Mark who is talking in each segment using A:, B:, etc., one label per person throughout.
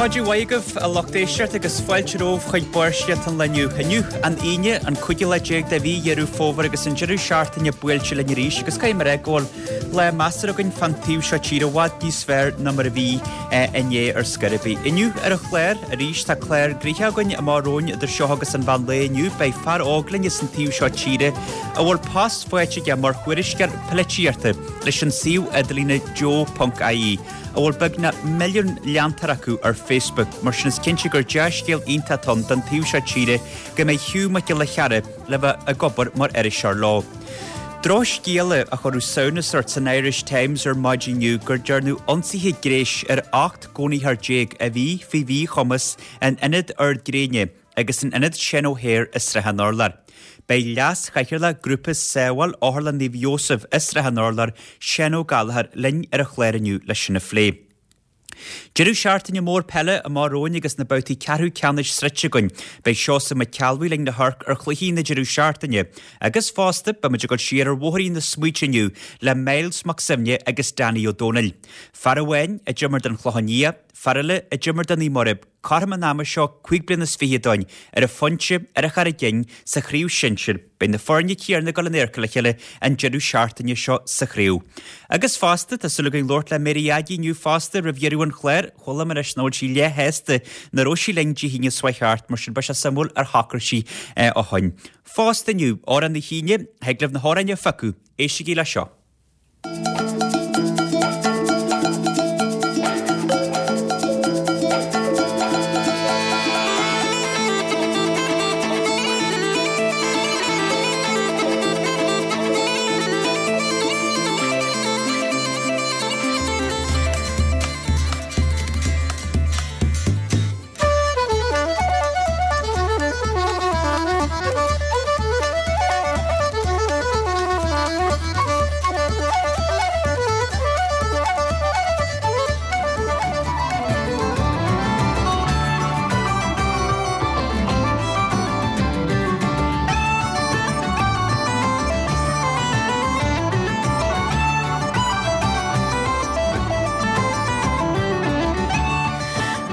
A: Maidin mhaith agaibh, a lucht éisteachta, agus fáilte romhaibh chuig Barrscéalta an lae inniu. Inniu, an Aoine, an cúigiú lá déag de mhí Dheireadh Fómhair agus an deireadh seachtaine buailte linn arís agus caithfidh mé a rá go bhfuil lá measartha againn fán taobh seo tíre i bhfad níos fearr ná mar a bhí inné ar scor ar bith. Inniu ar an chlár, arís, tá clár gnoitheach againn amach romhainn idir seo agus an mheán lae inniu. Beidh fear óg linn as an taobh seo tíre a bhfuil post faighte aige mar thuairisceoir polaitíochta leis an suíomh idirlíne Joe.ie. a bhfuil beagnach milliún leantóir acu ar Facebook, mar sin is cinnte gur dea-scéal iontach atá ann don taobh seo tíre go mbeidh Hugh Mac Giolla Chearra le bheith ag obair mar iriseoir leo. Drochscéala a chuireadh samhnas ort san Irish Times ar maidin inniu gur dearnadh ionsaithe gréis ar 18 gcónaitheoir a bhí faoi mhíchumas in Ionad Ard Gréine agus in Ionad Seán O'Hare i Srath an Urláir. Beidh Leas-Chathaoirleach Grúpa Sábháil Otharlann Naomh Iósaf i Srath an Urláir, Seán Ó Gallchóir, linn ar an chlár inniu le sin a phlé. Deireadh seachtaine mór peile amach romhainn agus na babhtaí ceathrú ceannais sroichte againn. Beidh Seosamh Mac Ceallbhuí linn le hamharc ar chluichí na deireadh seachtaine. Agus fosta, beidh muid ag dul siar ar bhóithrín na smaointe inniu le Myles Mac Suibhne agus Danny Ó Dónaill. Fear amháin a d'imir don Chlochán Liath, fear eile a d'imir do Naomh Muire, Cothrom an ama seo 25 bliana ó shin, ar an Phointe, ar an Charraig Fhinn, sa chraobh shinsir, beidh na foirne céanna ag dul in adharca le chéile an deireadh seachtaine seo sa chraobh. Agus fosta, tá súil againn labhairt le Mary Aggie inniu fosta roimh dheireadh an chláir, chuala mé anois nach bhfuil sí leath-shásta nach raibh sí linn Dé hAoine seo chuaigh thart, mar sin beidh sé suimiúil ar shocraigh sí ó shoin. Fosta inniu, Amhrán na hAoine, thig libh na hamhráin a phiocadh, éistigí le seo.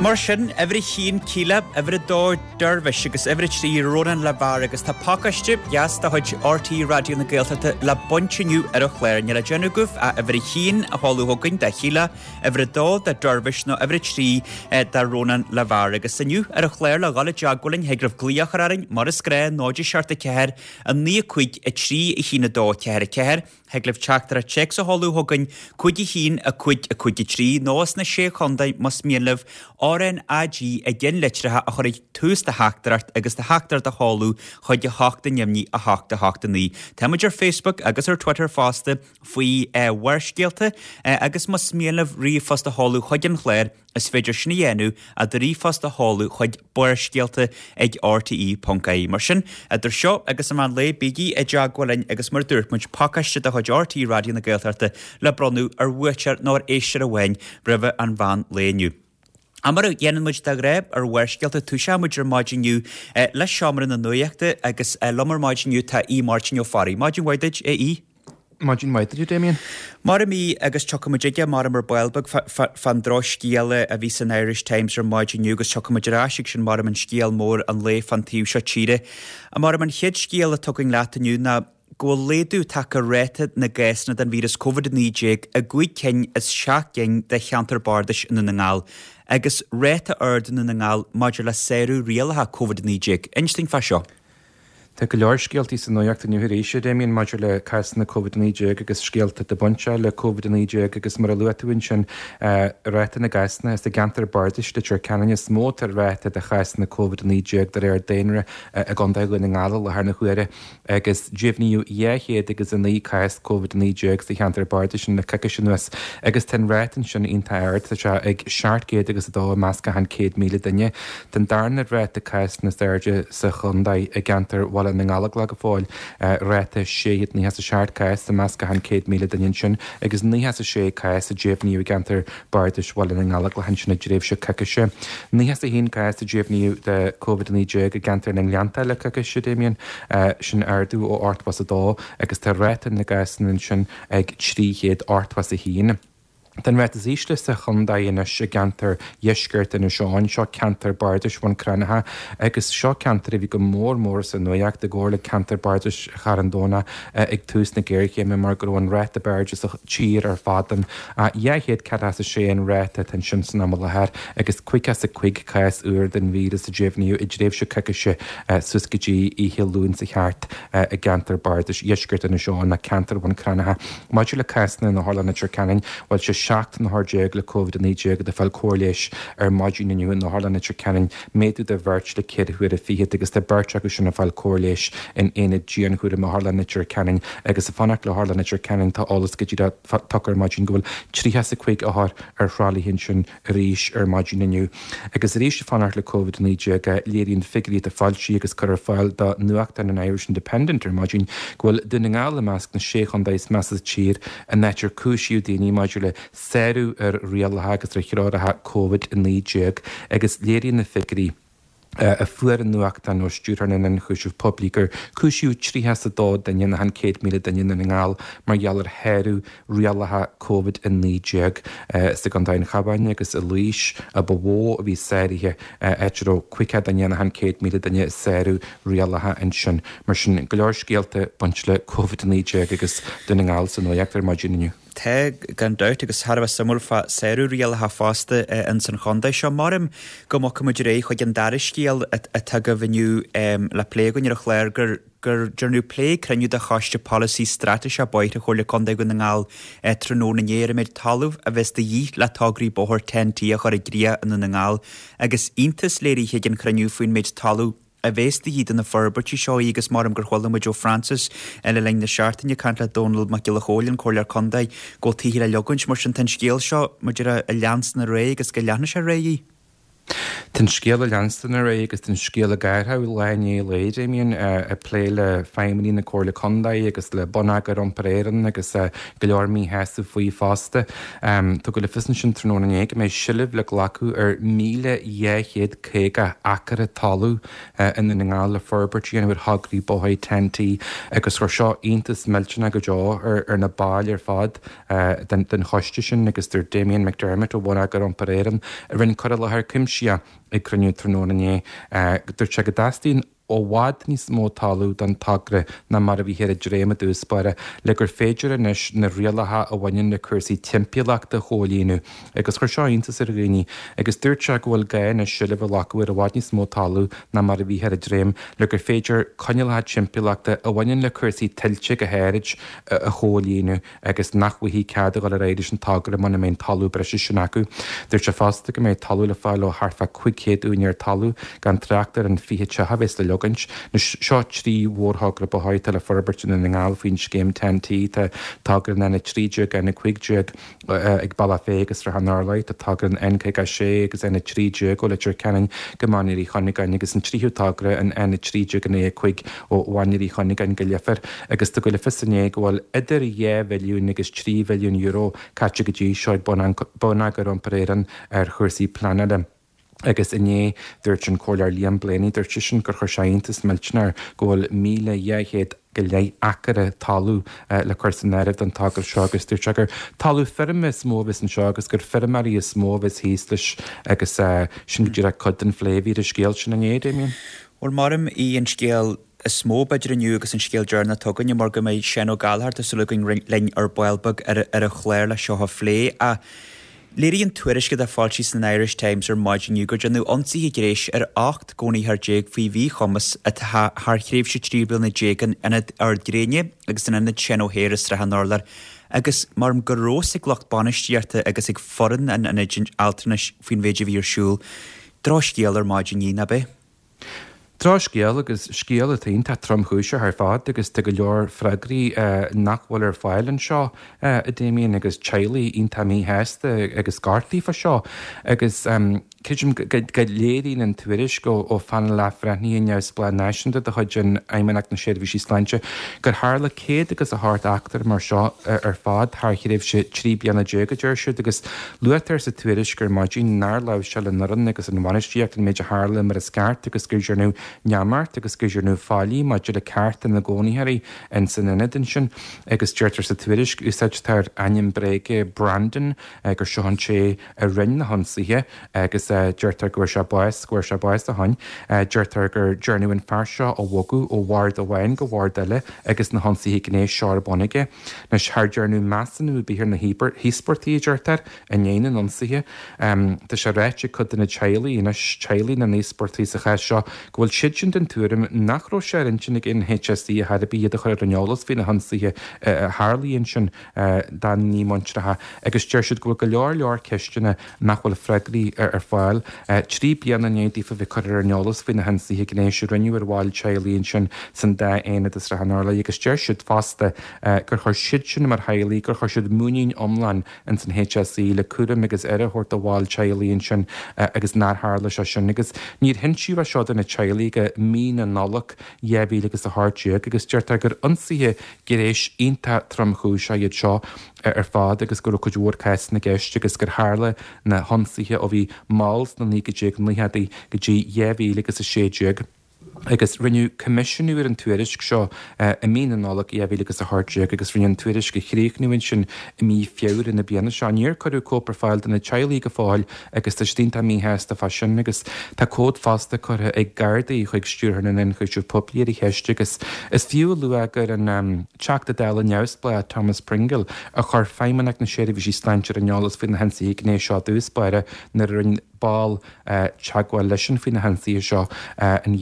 A: Mar sin, uimhir a haon Kíla, uimhir a dó Dervish agus uimhir a 3 Rónán Le Var agus tá pacáiste deas de chuid RTÉ Raidió na Gaeltachta le baint inniu ar an chlár. Níl le déanamh agaibh ach uimhir a haon a sheoladh chugainn do Shíle, uimhir a dó do Dervish nó uimhir a 3 do Rónán Le Var. Agus inniu ar an chlár le dhul i dteagmháil linn thig libh glaoch a chur orainn mar is gnáth 0 7 4 9 5 3 1 2 4 4. Thig libh teachtaireacht téacs a sheoladh chugainn 5 1 5 5 3 nó sna Sé Chontae más mian libh RnaG i gceannlitreacha a chur ag tús do theachtaireacht agus do theachtaireacht a sheoladh chuig 8 neamhní 8 8 9. Tá muid ar Facebook agus ar Twitter fosta faoi Bharrscéalta agus más mian libh ríomhphost a sheoladh chuig an chlár Is féidir sin a dhéanamh ach do ríomhphost a sheoladh chuig barrscéalta ag rte.ie. Mar sin, idir seo agus an meán lae, bígí i dteagmháil linn agus mar a dúirt muid, pacáiste de chuid RTÉ Raidió na Gaeltachta le bronnadh ar bhuaiteoir nó ar éisteoir amháin roimhe an mheán lae inniu. Ach mar a dhéanann muid de ghnáth ar Bharrscéalta, toiseoidh muid ar maidin inniu le Seomra na Nuachta agus liom ar maidin inniu tá Aodh Máirtín Ó Fearraigh. Maidin mhaith duit, a Aoidh.
B: Maidin mhaith duit, a Damien.
A: Mar a bhí, agus tiocfaidh muid aige maram ar ball beag fán drochscéala a bhí san Irish Times ar maidin inniu agus tiocfaidh muid ar ais ag sin maram an scéal mór an lae fán taobh seo tíre. Maram an chéad scéal atá againn leat inniu ná go bhfuil laghdú tagtha ar ráta na gcásanna den víreas Covid-19 i gcúig cinn as seacht gcinn de cheantar bardais i nDún na nGall agus ráta ard i Ndún na nGall maidir le sárú rialacha Covid-19. Inis dúinn fá seo.
B: Tá go leor scéaltaí sa nuacht inniu arís, a Damien, maidir le cásanna Covid-19 agus scéalta atá bainteach le Covid-19 agus mar a luaigh tú ansin, ráta na gcásanna is i gceantar bardais Leitir Ceanainn is mó atá ráta de chásanna Covid-19 de réir daonra i gContae Dhún na nGall i láthair na huaire agus deimhníodh 209 cás Covid-19 sa cheantar bardais sin le coicís anuas agus tá an ráta ansin iontach ard, tá sé ag 702 i measc achan 100,000 duine. Tá an darna ráta cásanna is airde sa chontae i gceantar Bhaile na nGallóglach go fóill, ráta 697 cás i measc achan 100,000 duine ansin agus 96 cás a deimhníodh i gceantar bardais Bhaile na nGallóglach ansin i dtréimhse coicíse. 91 cás a deimhníodh de Covid-19 i gceantar na nGleannta le coicís, a Damien, sin ardú ó 82 agus tá ráta na gcásanna ansin ag 381. Tá an ráta is ísle sa chontae anois i gceantar dheisceart Inis Eoghain, seo ceantar bardais Bhun Cranncha agus seo ceantar a bhí go mór mór sa nuaíocht i gcomhar le ceantar bardais Charn Domhnach ag tús na géarchéime mar go raibh an ráta ab airde sa tír ar fad ann. 246 an ráta atá ansin san am i láthair agus 55 cás úr den víreas a deimhníodh i dtréimhse coicíse suas go dtí oíche Luain seo thart i gceantar bardais dheisceart Inis Eoghain, ceantar Bhun Cranncha. Maidir le cásanna in Otharlann Leitir Ceanainn, bhuel sé 17 n-othar le Covid-19 atá ag fáil cóir leighis ar maidin inniu in Otharlann Leitir Ceanainn, méadú de bheirt le ceithre huaire fichead agus tá beirt acu sin ag fáil cóir leighis in aonad dianchúraim Otharlann Leitir Ceanainn. Agus ag fanacht le hOtharlann Leitir Ceanainn, tá eolas go díreach tugtha ar maidin go bhfuil 35 othar ar thralaithe ansin arís ar maidin inniu. Agus arís ag fanacht le Covid-19, léiríonn figiúirí atá foilsithe agus curtha ar fáil do nuachtán an Irish Independent ar maidin go bhfuil Dún na nGall i measc na sé chontae is measa sa tír in áit ar cúisíodh daoine maidir le sárú ar rialacha agus ar threoracha Covid-19 agus léiríonn na figiúirí a fuair an nuachtán ó Stiúrthóir na nIonchúiseamh Poiblí gur cúisíodh 32 duine in achan 100,000 duine i nDún na nGall mar gheall ar shárú rialacha Covid-19. Is i gContae an Chabháin agus i Laois a ba mhó a bhí sáruithe, áit a raibh 50 duine in achan 100,000 duine ag sárú rialacha ansin. Mar sin, go leor scéalta ag baint le Covid-19 agus Dún na nGall sa nuacht ar maidin inniu.
A: Tá, gan dabht, agus thar a bheith suimiúil fá sárú rialacha fosta ins an chontae seo. Maram go mbogfaidh muid ar aghaidh chuig an dara scéal atá agaibh inniu le plé againn ar an chlár, gur gur dearnadh plé ag cruinniú de Choiste Polasaí Straitéiseach Bóithre Chomhairle Contae Dhún na nGall tráthnóna inné ar an méid talaimh a bheas de dhíth le tograí bóthair TEN-T a chur i gcrích i nDún na nGall agus iontas léirithe ag an chruinniú faoin méid talaimh a bheas de dhíth do na forbairtí seo í agus maram gur chuala muid ó Francis le linn na seachtaine ag caint le Dónall Mac Giolla Chóill, an Comhairleoir Contae, go bhfuil tithe le leogaint. Mar sin tá an scéal seo, mar a déarfá, ag leanstan ar aghaidh agus go leanfaidh sé ar aghaidh.
B: Tá an scéal ag leanstan ar aghaidh agus tá an scéal ag athrú lá i ndiaidh lae, Damien, ag plé le feidhmeannaigh na Comhairle Contae agus le Bonneagar Iompair Éireann agus go leor míshásamh faoi fosta. Tugadh le fios ansin tráthnóna inné go mbeidh seilbh le glacadh ar 1,250 acra talaimh i nDún na nGall le forbairt a dhéanamh ar thograí bóthair TEN-T agus chuir seo iontas millteanach go deo ar na baill ar fad den choiste sin agus dúirt Damien McDermott ó Bhonneagar Iompair Éireann a rinne cur i láthair cuimsitheach ag cruinniú tráthnóna inné dúirt sé go dteastaíonn i bhfad níos mó talaimh don togra ná mar a bhíthear ag dréim i dtús báire, le gur féidir anois na rialacha a bhaineann le cúrsaí timpeallachta a chomhlíonadh. Agus chuir seo iontas ar dhaoine, agus dúirt sé go bhfuil gá anois seilbh a ghlacadh ar i bhfad níos mó talaimh ná mar a bhíthear ag dréim, le gur féidir coinníollacha timpeallachta a bhaineann le cúrsaí tuilte go háirid a chomhlíonadh. agus nach bhfaighfí cead a dhul ar aghaidh leis an togra muna mbeidh an talamh breise sin acu. Dúirt sé fosta go mbeidh talamh le fáil ó thart fá 500 úinéir talaimh, gan trácht ar an 20 teach a bheas le leogaint. Anois, seo 3 mhórthogra bóthair atá le forbairt i nDún na nGall faoin scéim TEN-T. Tá togra an N13, N15 ag Bealach Féich agus Srath an Urláir, tá togra an N56 agus N13 ó Leitir Ceanainn go Mainír Uí Chuinneagáin agus an tríú togra, an N13 an A5 ó Mhainír Uí Chuinneagáin go Leifear agus tugadh le fios inné go bhfuil idir €2 bhilliún agus €3 bhilliún caite go dtí seo ag Bonneagar Iompair Éireann ar chúrsaí pleanála. Agus inné dúirt an Comhairleoir Liam Blaney, dúirt seisean gur chuir sé iontas millteanach air go bhfuil 1,200 go leith acra talaimh le cur san áireamh don togra seo agus dúirt sé gur talamh feirme is mó a bheas anseo agus gur feirmeoirí is mó a bheas thíos leis agus sin go díreach cuid den phlé a bhí ar an scéal sin inné, Damien.
A: Bhuel, maram í an scéal is mó, b'fhéidir, inniu agus an scéal deireanach atá againne, mar go mbeidh Seán Ó Gallchóir, tá súil againn, linn ar ball beag ar an chlár le seo a phlé. Ach léirigh an tuairisc atá foilsithe san Irish Times ar maidin inniu gur déanadh ionsaithe gnéis ar 18 gcónaitheoir faoi mhíchumas atá thar thréimhse 13 bliana in Ionad Ard Gréine agus in Ionad Seán O'Hare i Srath an Urláir agus maram go raibh fhios ag lucht bainistíochta agus ag foireann an ionaid altranais faoin mhéid a bhí ar siúl. Drochscéal ar maidin inniu, nach ea?
B: Drochscéal agus scéal atá iontach tromchúiseach ar fad agus tá go leor freagraí nach bhfuil ar fáil anseo, a Damien, agus teaghlaigh iontach míshásta agus gortaithe fá seo agus creidim go léiríonn an tuairisc ó Phainéal Athbhreithnithe Neamhspleách Náisiúnta de chuid an Fheidhmeannacht na Seirbhísí Sláinte gur tharla 100 agus 8 eachtra mar seo ar fad thar thréimhse 13 bliana, a deir siad, agus Luaitear sa tuairisc ar maidin nár láimhseáil an fhoireann agus an bhainistíocht an méid a tharla mar is ceart agus gur déanadh. neamart agus go ndearnadh faillí maidir le cearta na gcónaitheoirí ins an ionad ansin agus deirtear sa tuairisc, úsáidtear ainm bréige Brandon, gur seo an té a rinne na hionsaithe agus deirtear go bhfuair sé bás, go bhfuair sé bás ó shin. Deirtear gur dearnadh an fear seo a bhogadh ó bhord amháin go bhord eile agus na hionsaithe gnéis seo ar bun aige. Anois, char dearnadh measúnú ar bith ar na híospartaigh, a deirtear, i ndiaidh na n-ionsaithe. Tá sé ráite ag cuid de na teaghlaigh anois, teaghlaigh na n-íospartaigh sa chás seo, go bhfuil siadsan den tuairim nach raibh sé ar intinn ag an HSE ar chor ar bith iad a chur ar an eolas faoi na hionsaithe a tharlaigh ansin dá ndíomhaointeacha agus deir siad go bhfuil go leor leor ceisteanna nach bhfuil freagraí ar fáil. 3 bliana i ndiaidh daofa bheith curtha ar an eolas faoi na hionsaithe gnéis a rinneadh ar bhaill teaghlaigh ansin san dá aonad i Srath an Urláir agus deir siad fosta gur chuir siadsan mar theaghlaigh, gur chuir siad muinín iomlán ins an HSE le cúram agus aire a thabhairt do bhaill teaghlaigh ansin agus nár tharla sé sin agus níor hinsíodh é seo do na teaghlaigh go mí na Nollag 2018 agus deirtear gur ionsaithe gnéis iontach tromchúiseach iad seo ar fad agus go raibh cuid mhór cásanna i gceist agus gur tharla na hionsaithe ó bhí mall sna 1990idí go dtí 2016. Agus rinneadh coimisiúnú ar an tuairisc seo i mí na Nollag 2018 agus rinneadh an tuairisc a chríochnú ansin i mí Feabhra na bliana seo. Níor cuireadh cóip ar fáil do na teaghlaigh go fóill agus tá siad iontach míshásta fá sin agus tá comhad fosta curtha ag Gardaí chuig Stiúrthóir na nIonchúiseamh Poiblí ar an cheist agus is fiú a lua gur an Teachta Dála neamhspleách Thomas Pringle a chuir Feidhmeannacht na Seirbhísí Sláinte ar an eolas faoi na hionsaithe gnéis seo i dtús báire nuair a rinne ball teagmháil leisean faoi na hionsaithe seo in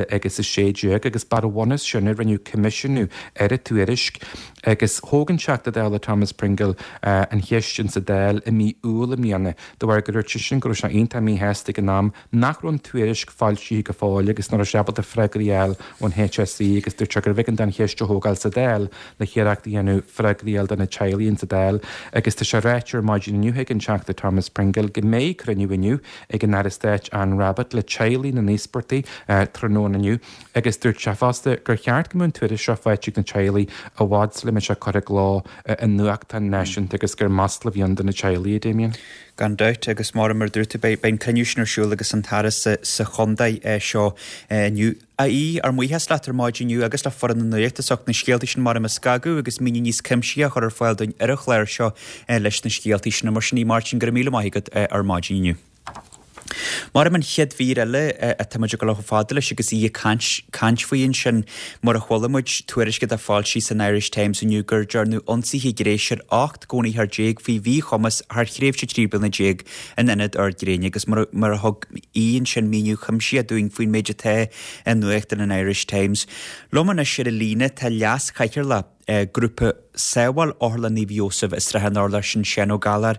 B: 2016 agus b'ar an bhunús sin a rinneadh coimisiúnú ar an tuairisc agus thóg an Teachta Dála Thomas Pringle an cheist insa Dáil i mí Iúil i mbliana de bharr gur dúirt seisean go raibh sé iontach míshásta ag an am nach raibh an tuairisc foilsithe go fóill agus nach raibh sé ábalta freagraí a fháil ón HSE agus dúirt sé gurbh éigean dó an cheist a thógáil sa Dáil le hiarracht a dhéanamh freagraí a fháil do na teaghlaigh insa Dáil agus tá sé ráite ar maidin inniu ag an Teachta Thomas Pringle go mbeidh cruinniú inniu ag an Aire Stáit Anne Rabbitte le teaghlaigh na n-íospartaigh tráthnóna inniu agus dúirt sé fosta gur cheart go mbeadh an tuairisc seo faighte ag na teaghlaigh i bhfad sula mbeidh sé curtha i gcló i nuachtán náisiúnta agus gur masla a bhí ann do na teaghlaigh, a Damien.
A: Gan dabht, agus mar a dúirt tú, beidh an cruinniú sin ar siúl agus an tAire sa chontae seo inniu. Aodh, ár mbuíochas leat ar maidin inniu agus le foireann na Nuachta as ucht na scéaltaí sin mar a scagadh agus míniú níos cuimsithí a chur ar fáil dúinn ar an chlár seo leis na scéaltaí sin. Mar sin, a Mháirtín, go raibh míle maith agat ar maidin inniu. Mar an chéad mhír eile atá muid ag dul chomh fada leis agus í ag caint caint faoi ansin, mar a chuala muid, tuairisc atá foilsithe san Irish Times inniu gur dearnadh ionsaithe gnéis ar 18 gcónaitheoir faoi mhíchumas thar thréimhse 13 bliana in Ionad Ard Gréine agus mar a thug Aodh ansin míniú cuimsitheach dúinn faoin méid atá i nuachtán an Irish Times. Liom anois ar an líne tá Leas-Chathaoirleach Grúpa Sábháil Otharlann Naomh Iósaf i Srath an Urláir, sin Seán Ó Gallchóir.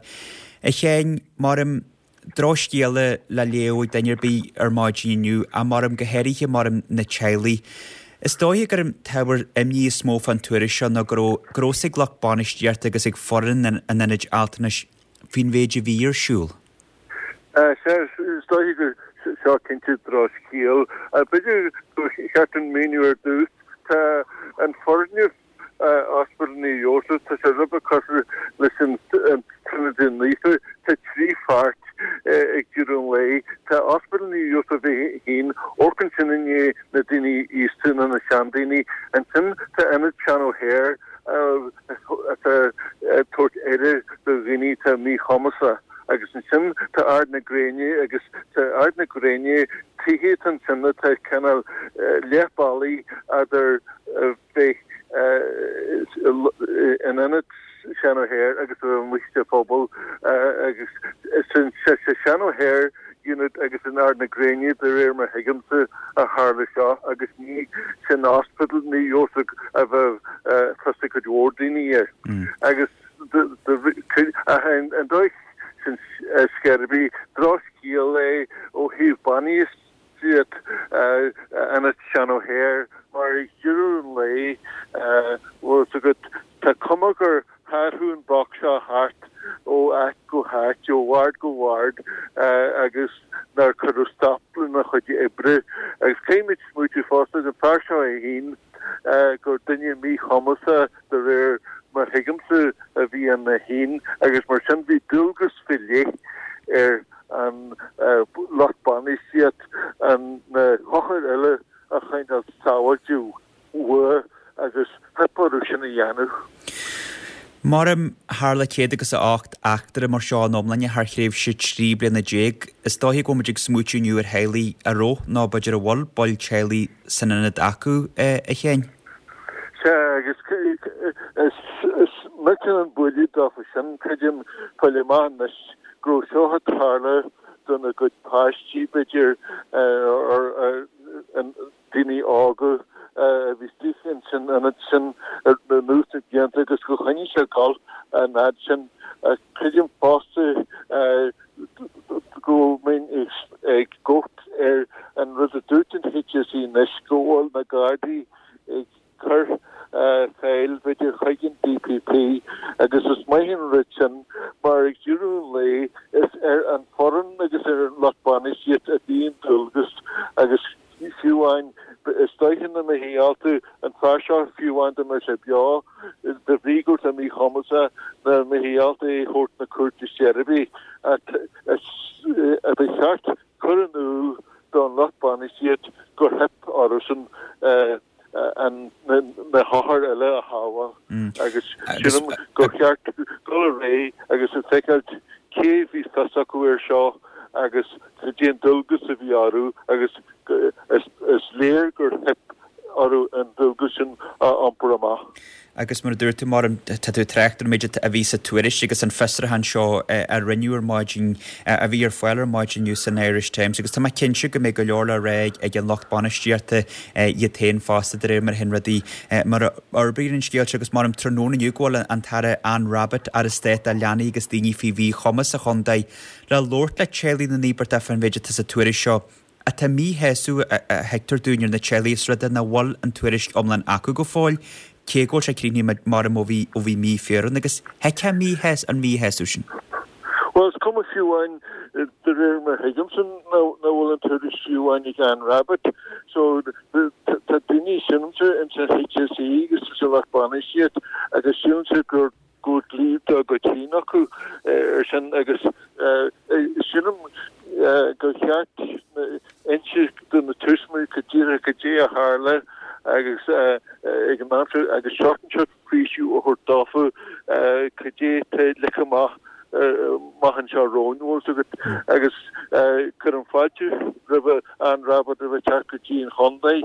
A: A Sheáin, maram drochscéala le léamh ag duine ar bith ar maidin inniu, ach maram go háirithe maram na teaghlaigh. Is dóiche gur an t-ábhar imní is mó fán tuairisc seo ná go raibh go raibh fhios ag lucht bainistíochta agus ag foireann an ionaid altranais faoin mhéid a bhí ar siúl.
C: Sea, is dóiche gur seo cinnte drochscéal. B'fhéidir gur cheart an míniú ar dtús. Tá an foirgneamh Ospidéal Naomh Iósaf, tá sé rud beag cosúil leis an Tríonóid Naofa. Tá 3 pháirt ag deireadh an lae. Tá Ospidéal Naomh Iósaf é féin, amharcann sin i ndiaidh na daoine aosta nó na seandaoine. Ansin tá Ionad Seán O'Hare atá ag tabhairt aire do dhaoine atá míchumasach. Agus ansin tá Ard na Gréine agus tá Ard na Gréine, tithe atá ansin atá cineál leath bealaigh eadar bheith in ionad Seán O'Hare agus a bheith amuigh sa phobal agus is sa Seán O'Hare unit agus in Ard na Gréine de réir mar thuigimse a tharla seo agus ní san ospidéal Naomh Iósaf a bheadh fios ag cuid mhór daoine air agus an dóigh sin scor ar bith drochscéal é ó thaobh bainistíocht ionad Seán O'Hare mar ag deireadh an lae bhfuil fhios agat tá cuma gur tharrthu an boc seo thart ó áit go háit, ó bhord go bord agus nár cuireadh stop lena chuid oibre. Agus caithfimid smaoitiú fosta, an fear seo é féin, gur duine míchumasach de réir mar thuigimse a bhí ann é féin agus mar sin bhí dualgas faoi leith ar an lucht bainistíocht na hothair uile. agus theip orthu sin a dhéanamh.
A: Maram, tharla céad agus a 8 eachtra mar seo in iomláine thar thréimhse 13 bliana. Is dóiche go bhfuil muid ag smaoitiú inniu ar theaghlaigh a raibh, nó b'fhéidir a bhfuil, baill teaghlaigh san ionad acu, a Sheáin.
C: Sea, agus is millteanach an buille dófa sin, creidim, fáil amach anois go raibh seo ag tarlú dona gcuid páistí, b'fhéidir, daoine óga a bhí istigh ins an ionad sin anuas na blianta agus gur choinnigh sé ag gabháil an fhad sin. Creidim fosta go mbeinn ag gabháil ar an rud a dúirt an HSE anois, go bhfuil na Gardaí ag cur file, b'fhéidir, chuig an DPP agus is maith an rud sin mar ag deireadh an lae is ar an foireann agus ar an lucht bainistíochta a bhíonn dualgas agus fiú amháin is dóiche nach mbeifí ábalta an fear seo fiú amháin dá mbeadh sé beo de bhrí go raibh sé míchumasach nach mbeifí ábalta é a thabhairt na cúirte ar chor ar bith ach ba cheart cur in iúl don lucht bainistíochta gur theip orthusan na hothair eile a shábháil agus sílim gur cheart dul ar aghaidh agus a feiceáil cé a bhí fios acu air seo agus cad é an dualgas a bhí orthu agus is léir gur theip orthu an dualgas sin a iompar amach.
A: Agus mar a dúirt tú, Máirín, tá tú ag trácht ar an méid a bhí sa tuairisc agus an fiosrúchán seo a rinneadh ar maidin, a bhí ar fáil ar maidin inniu san Irish Times agus tá mé cinnte go mbeidh go leor le rá ag an lucht bainistíochta iad féin fosta de réir mar a théann rudaí, mar a fhorbraíonn an scéal seo agus maram tráthnóna inniu go bhfuil an tAire Anne Rabbitte, Aire Stáit do Leanaí agus Daoine faoi Mhíchumas sa chontae, le labhairt le teaghlaigh na n-íobartach fán mhéid atá sa tuairisc seo. Tá míshásamh a thuigtear dúinn ar na teaghlaigh is rud é nach bhfuil an tuairisc iomlán acu go fóill, cé go bhfuil sé críochnaithe maram ó bhí ó bhí mí Feabhra ann agus thuigfeá an míshásamh sin.
C: Bhuel, is cuma fiú amháin, de réir mar a thuigimse, nach bhfuil an tuairisc fiú amháin ag Anne Rabbitte. So, tá daoine, sílimse, ins an HSE agus sa lucht bainistíochta agus sílimse gur go bhfuil dlí dá gcuid féin acu ar sin agus sílim gur cheart inse do na tuismitheoirí go díreach cad é a tharla agus ag an am seo agus seort an faoiseamh a thabhairt dófa cad é atá ligthe amach amach anseo romhainn, bhfuil fhios agat, agus cuirim fáilte roimh Anne Rabbitte roimh teacht go dtí an chontae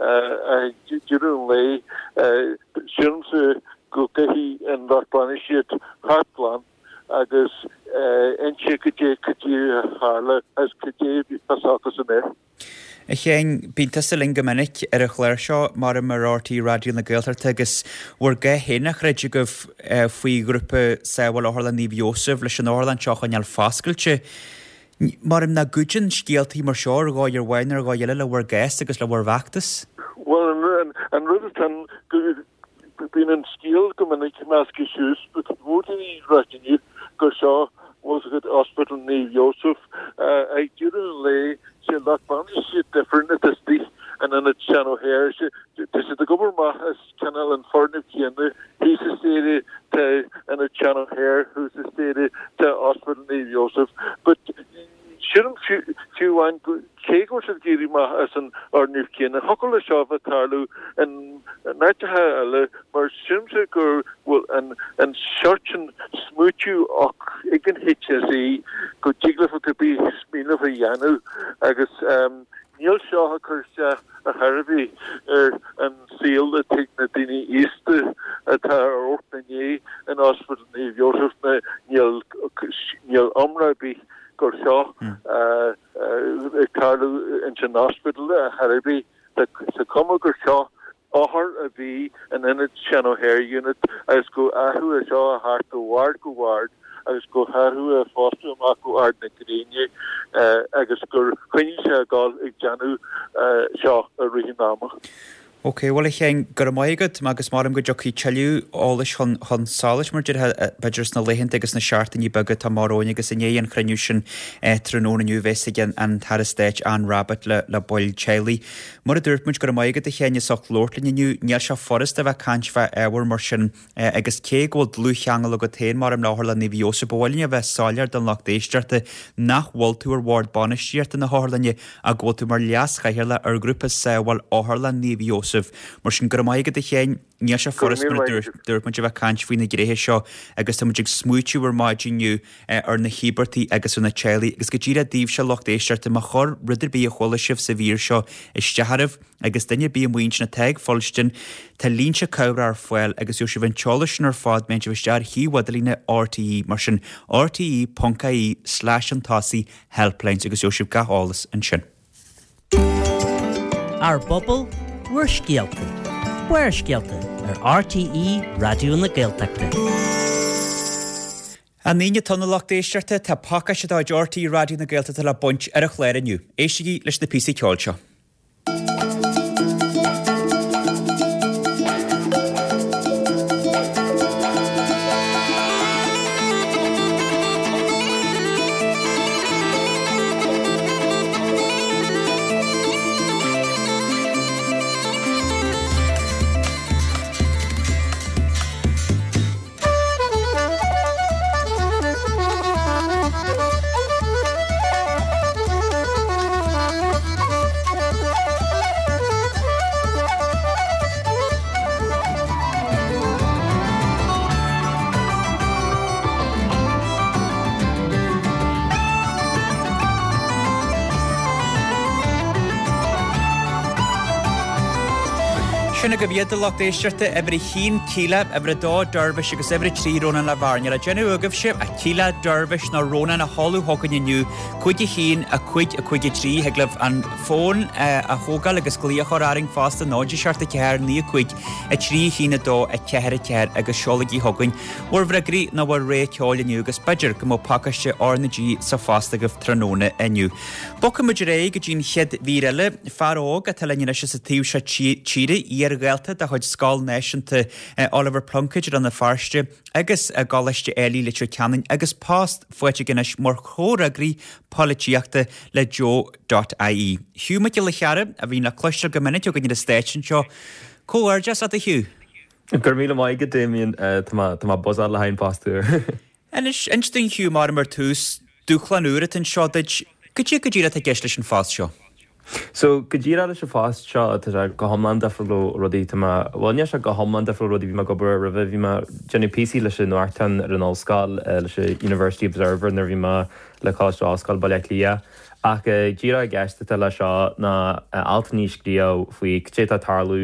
C: ag deireadh an lae. Sílimse go gcaithfidh an lucht bainistíochta theacht glan agus inse cad é cad é a tharla agus cad é a bhí fios acusan air.
A: A Sheáin, bíonn tusa linn go minic ar an chlár seo, maram ar RTÉ Raidió na Gaeltachta agus bhur gcás féin á throid agaibh faoi ghrúpa Sábháil Otharlann Naomh Iósaf leis an otharlann seo a choinneáil foscailte. Maram nach gcuidíonn scéaltaí mar seo ar dhóigh amháin nó ar dhóigh eile le bhur gcás agus le bhur bhfeachtas?
C: Bhuel, an rud atá ann, Bíonn an scéal go minic measctha suas, but mhór daoine ag ráit inniu gur seo bhfuil fhios agat Ospidéal Naomh Iósaf. Ag deireadh an lae, sé lucht bainistíochta difriúil atá istigh in ionad Seán O'Hare. Tá siad ag obair amach as cineál an foirgneamh céanna. Thíos an staighre tá ionad Seán O'Hare, thuas an staighre tá Ospidéal Naomh Iósaf. But Sílim fiú amháin cé go bhfuil siad ag éirí amach as an fhoirgneamh céanna, thiocfadh leis seo a bheith ag tarlú in áiteacha eile mar sílimse go bhfuil an seort sin smaoitiú ag an HSE go dtig leofa cibé smaoineamh a dhéanamh agus níl seo ag cur isteach ar chor ar bith ar an saol atá ag na daoine aosta atá ar amharc ina ndiaidh in Ospidéal Naomh Iósaf níl níl iomrá ar bith gur seo ag tarlú ins an ospidéal ar chor ar bith. Tá cuma gur seo othar a bhí in ionad Seán O'Hare Unit agus go athrú é seo a theacht ó bhord go bord agus go hathrú é fosta amach go Ard na Gréine agus gur choinnigh sé ag dul ag déanamh seo i rith an ama.
A: Ok, bhuel a Sheáin, go raibh maith agat agus maram go dtiocfaidh tuilleadh eolais chun chun solais mar a déarfá b'fhéidir sna laethanta agus sna seachtainí beaga atá amach romhainn agus i ndiaidh an chruinniú sin tráthnóna inniu a bheas ag an tAire Stáit Anne Rabbitte le le baill teaghlaigh. Mar a dúirt muid, go raibh maith agat a Sheáin as ucht labhairt linn inniu. Níl sé furasta a bheith ag caint fá ábhar mar sin agus cé go bhfuil dlúthcheangal agat féin maram le Otharlann Naomh Iósaf, ba mhaith linn a bheith soiléir don lucht éisteachta nach bhfuil tú ar bhord bainistíochta na hotharlainne ach go bhfuil tú mar leas-chathaoirleach ar ghrúpa Sábháil Otharlann Naomh Iósaf. Sheosaimh. Mar sin, go raibh maith agat a Sheáin. Níl sé furast mar a dúirt muid a bheith ag caint faoi na gnéithe seo agus tá muid ag smaoitiú ar maidin inniu ar na híobartaigh agus ar na teaghlaigh agus go díreach daoibhse lucht éisteachta má chuir rud ar bith a chuala sibh sa mhír seo isteach oraibh agus duine ar bith amuigh ansin atá ag fuilstin tá línte cabhrach ar fáil agus gheobhaidh sibh an t-eolas sin ar fad má théann sibh isteach ar shuíomh idirlíne RTÉ mar sin rte.ie slash chun tosaigh helplines agus gheobhaidh sibh gach eolas ansin.
D: Ár bpobal, bhur scéalta. Barrscéalta ar RTÉ Raidió na Gaeltachta.
A: An Aoine atá ann a lucht éisteachta, tá pacáiste de chuid RTÉ Raidió na Gaeltachta le baint ar an chlár inniu. Éistigí leis na píosaí ceoil seo. Sin agaibh iad, a lucht éisteachta, uimhir a haon, Kíla, uimhir a dó, Dervish agus uimhir a 3, Rónán Le Bhearna. Le déanamh agaibhse, ach Kíla, Dervish nó Rónán a sheoladh chugainn inniu, 5 1, 5 5 3, thig libh an fón a thógáil agus glaoch a chur orainn fosta, 0 7 4 9 5 3 1 2 4 4 agus seolaigí chugainn bhur bhfreagraí nó bhur rogha ceoil inniu agus b'fhéidir go mbeadh pacáiste R na G sa phost agaibh tráthnóna inniu. Bogfaidh muid ar aghaidh go dtí an chéad mhír eile. Fear óg atá linn anois as an taobh seo tíre, iar-dhalta de chuid Scoil Náisiúnta Oliver Plunkett i Rann na Feirste agus i gColáiste Ailigh Leitir Ceanainn agus post faighte aige anois mar chomhfhreagraí polaitíochta le Joe dot ie. Hugh Mac Giolla Chearra, a bhíonn le cloisteáil go minic againn ar an stáitse anseo. Comhghairdeas leat a Hugh!
E: Go raibh míle maith agat Damien, tá mé tá mé buzzed le haghaidh an post úr.
A: Anois, inis dúinn Hugh, mar ar tús, dúshlán úr atá anseo duit, goidé go díreach atá i gceist leis an phost seo?
E: So, go díreach leis an phost seo, tá sé go hiomlán difriúil ó rudaí tá mé, bhuel níl sé go hiomlán difriúil ó rudaí bhí mé ag obair air roimhe, bhí mé ag déanamh píosaí leis an nuachtán ar an ollscoil, leis an University Observer nuair a bhí mé le Coláiste Ollscoile Baile Átha Cliath. Ach díreach i gceist atá le seo ná altanna a scríobh faoi cad é atá ag tarlú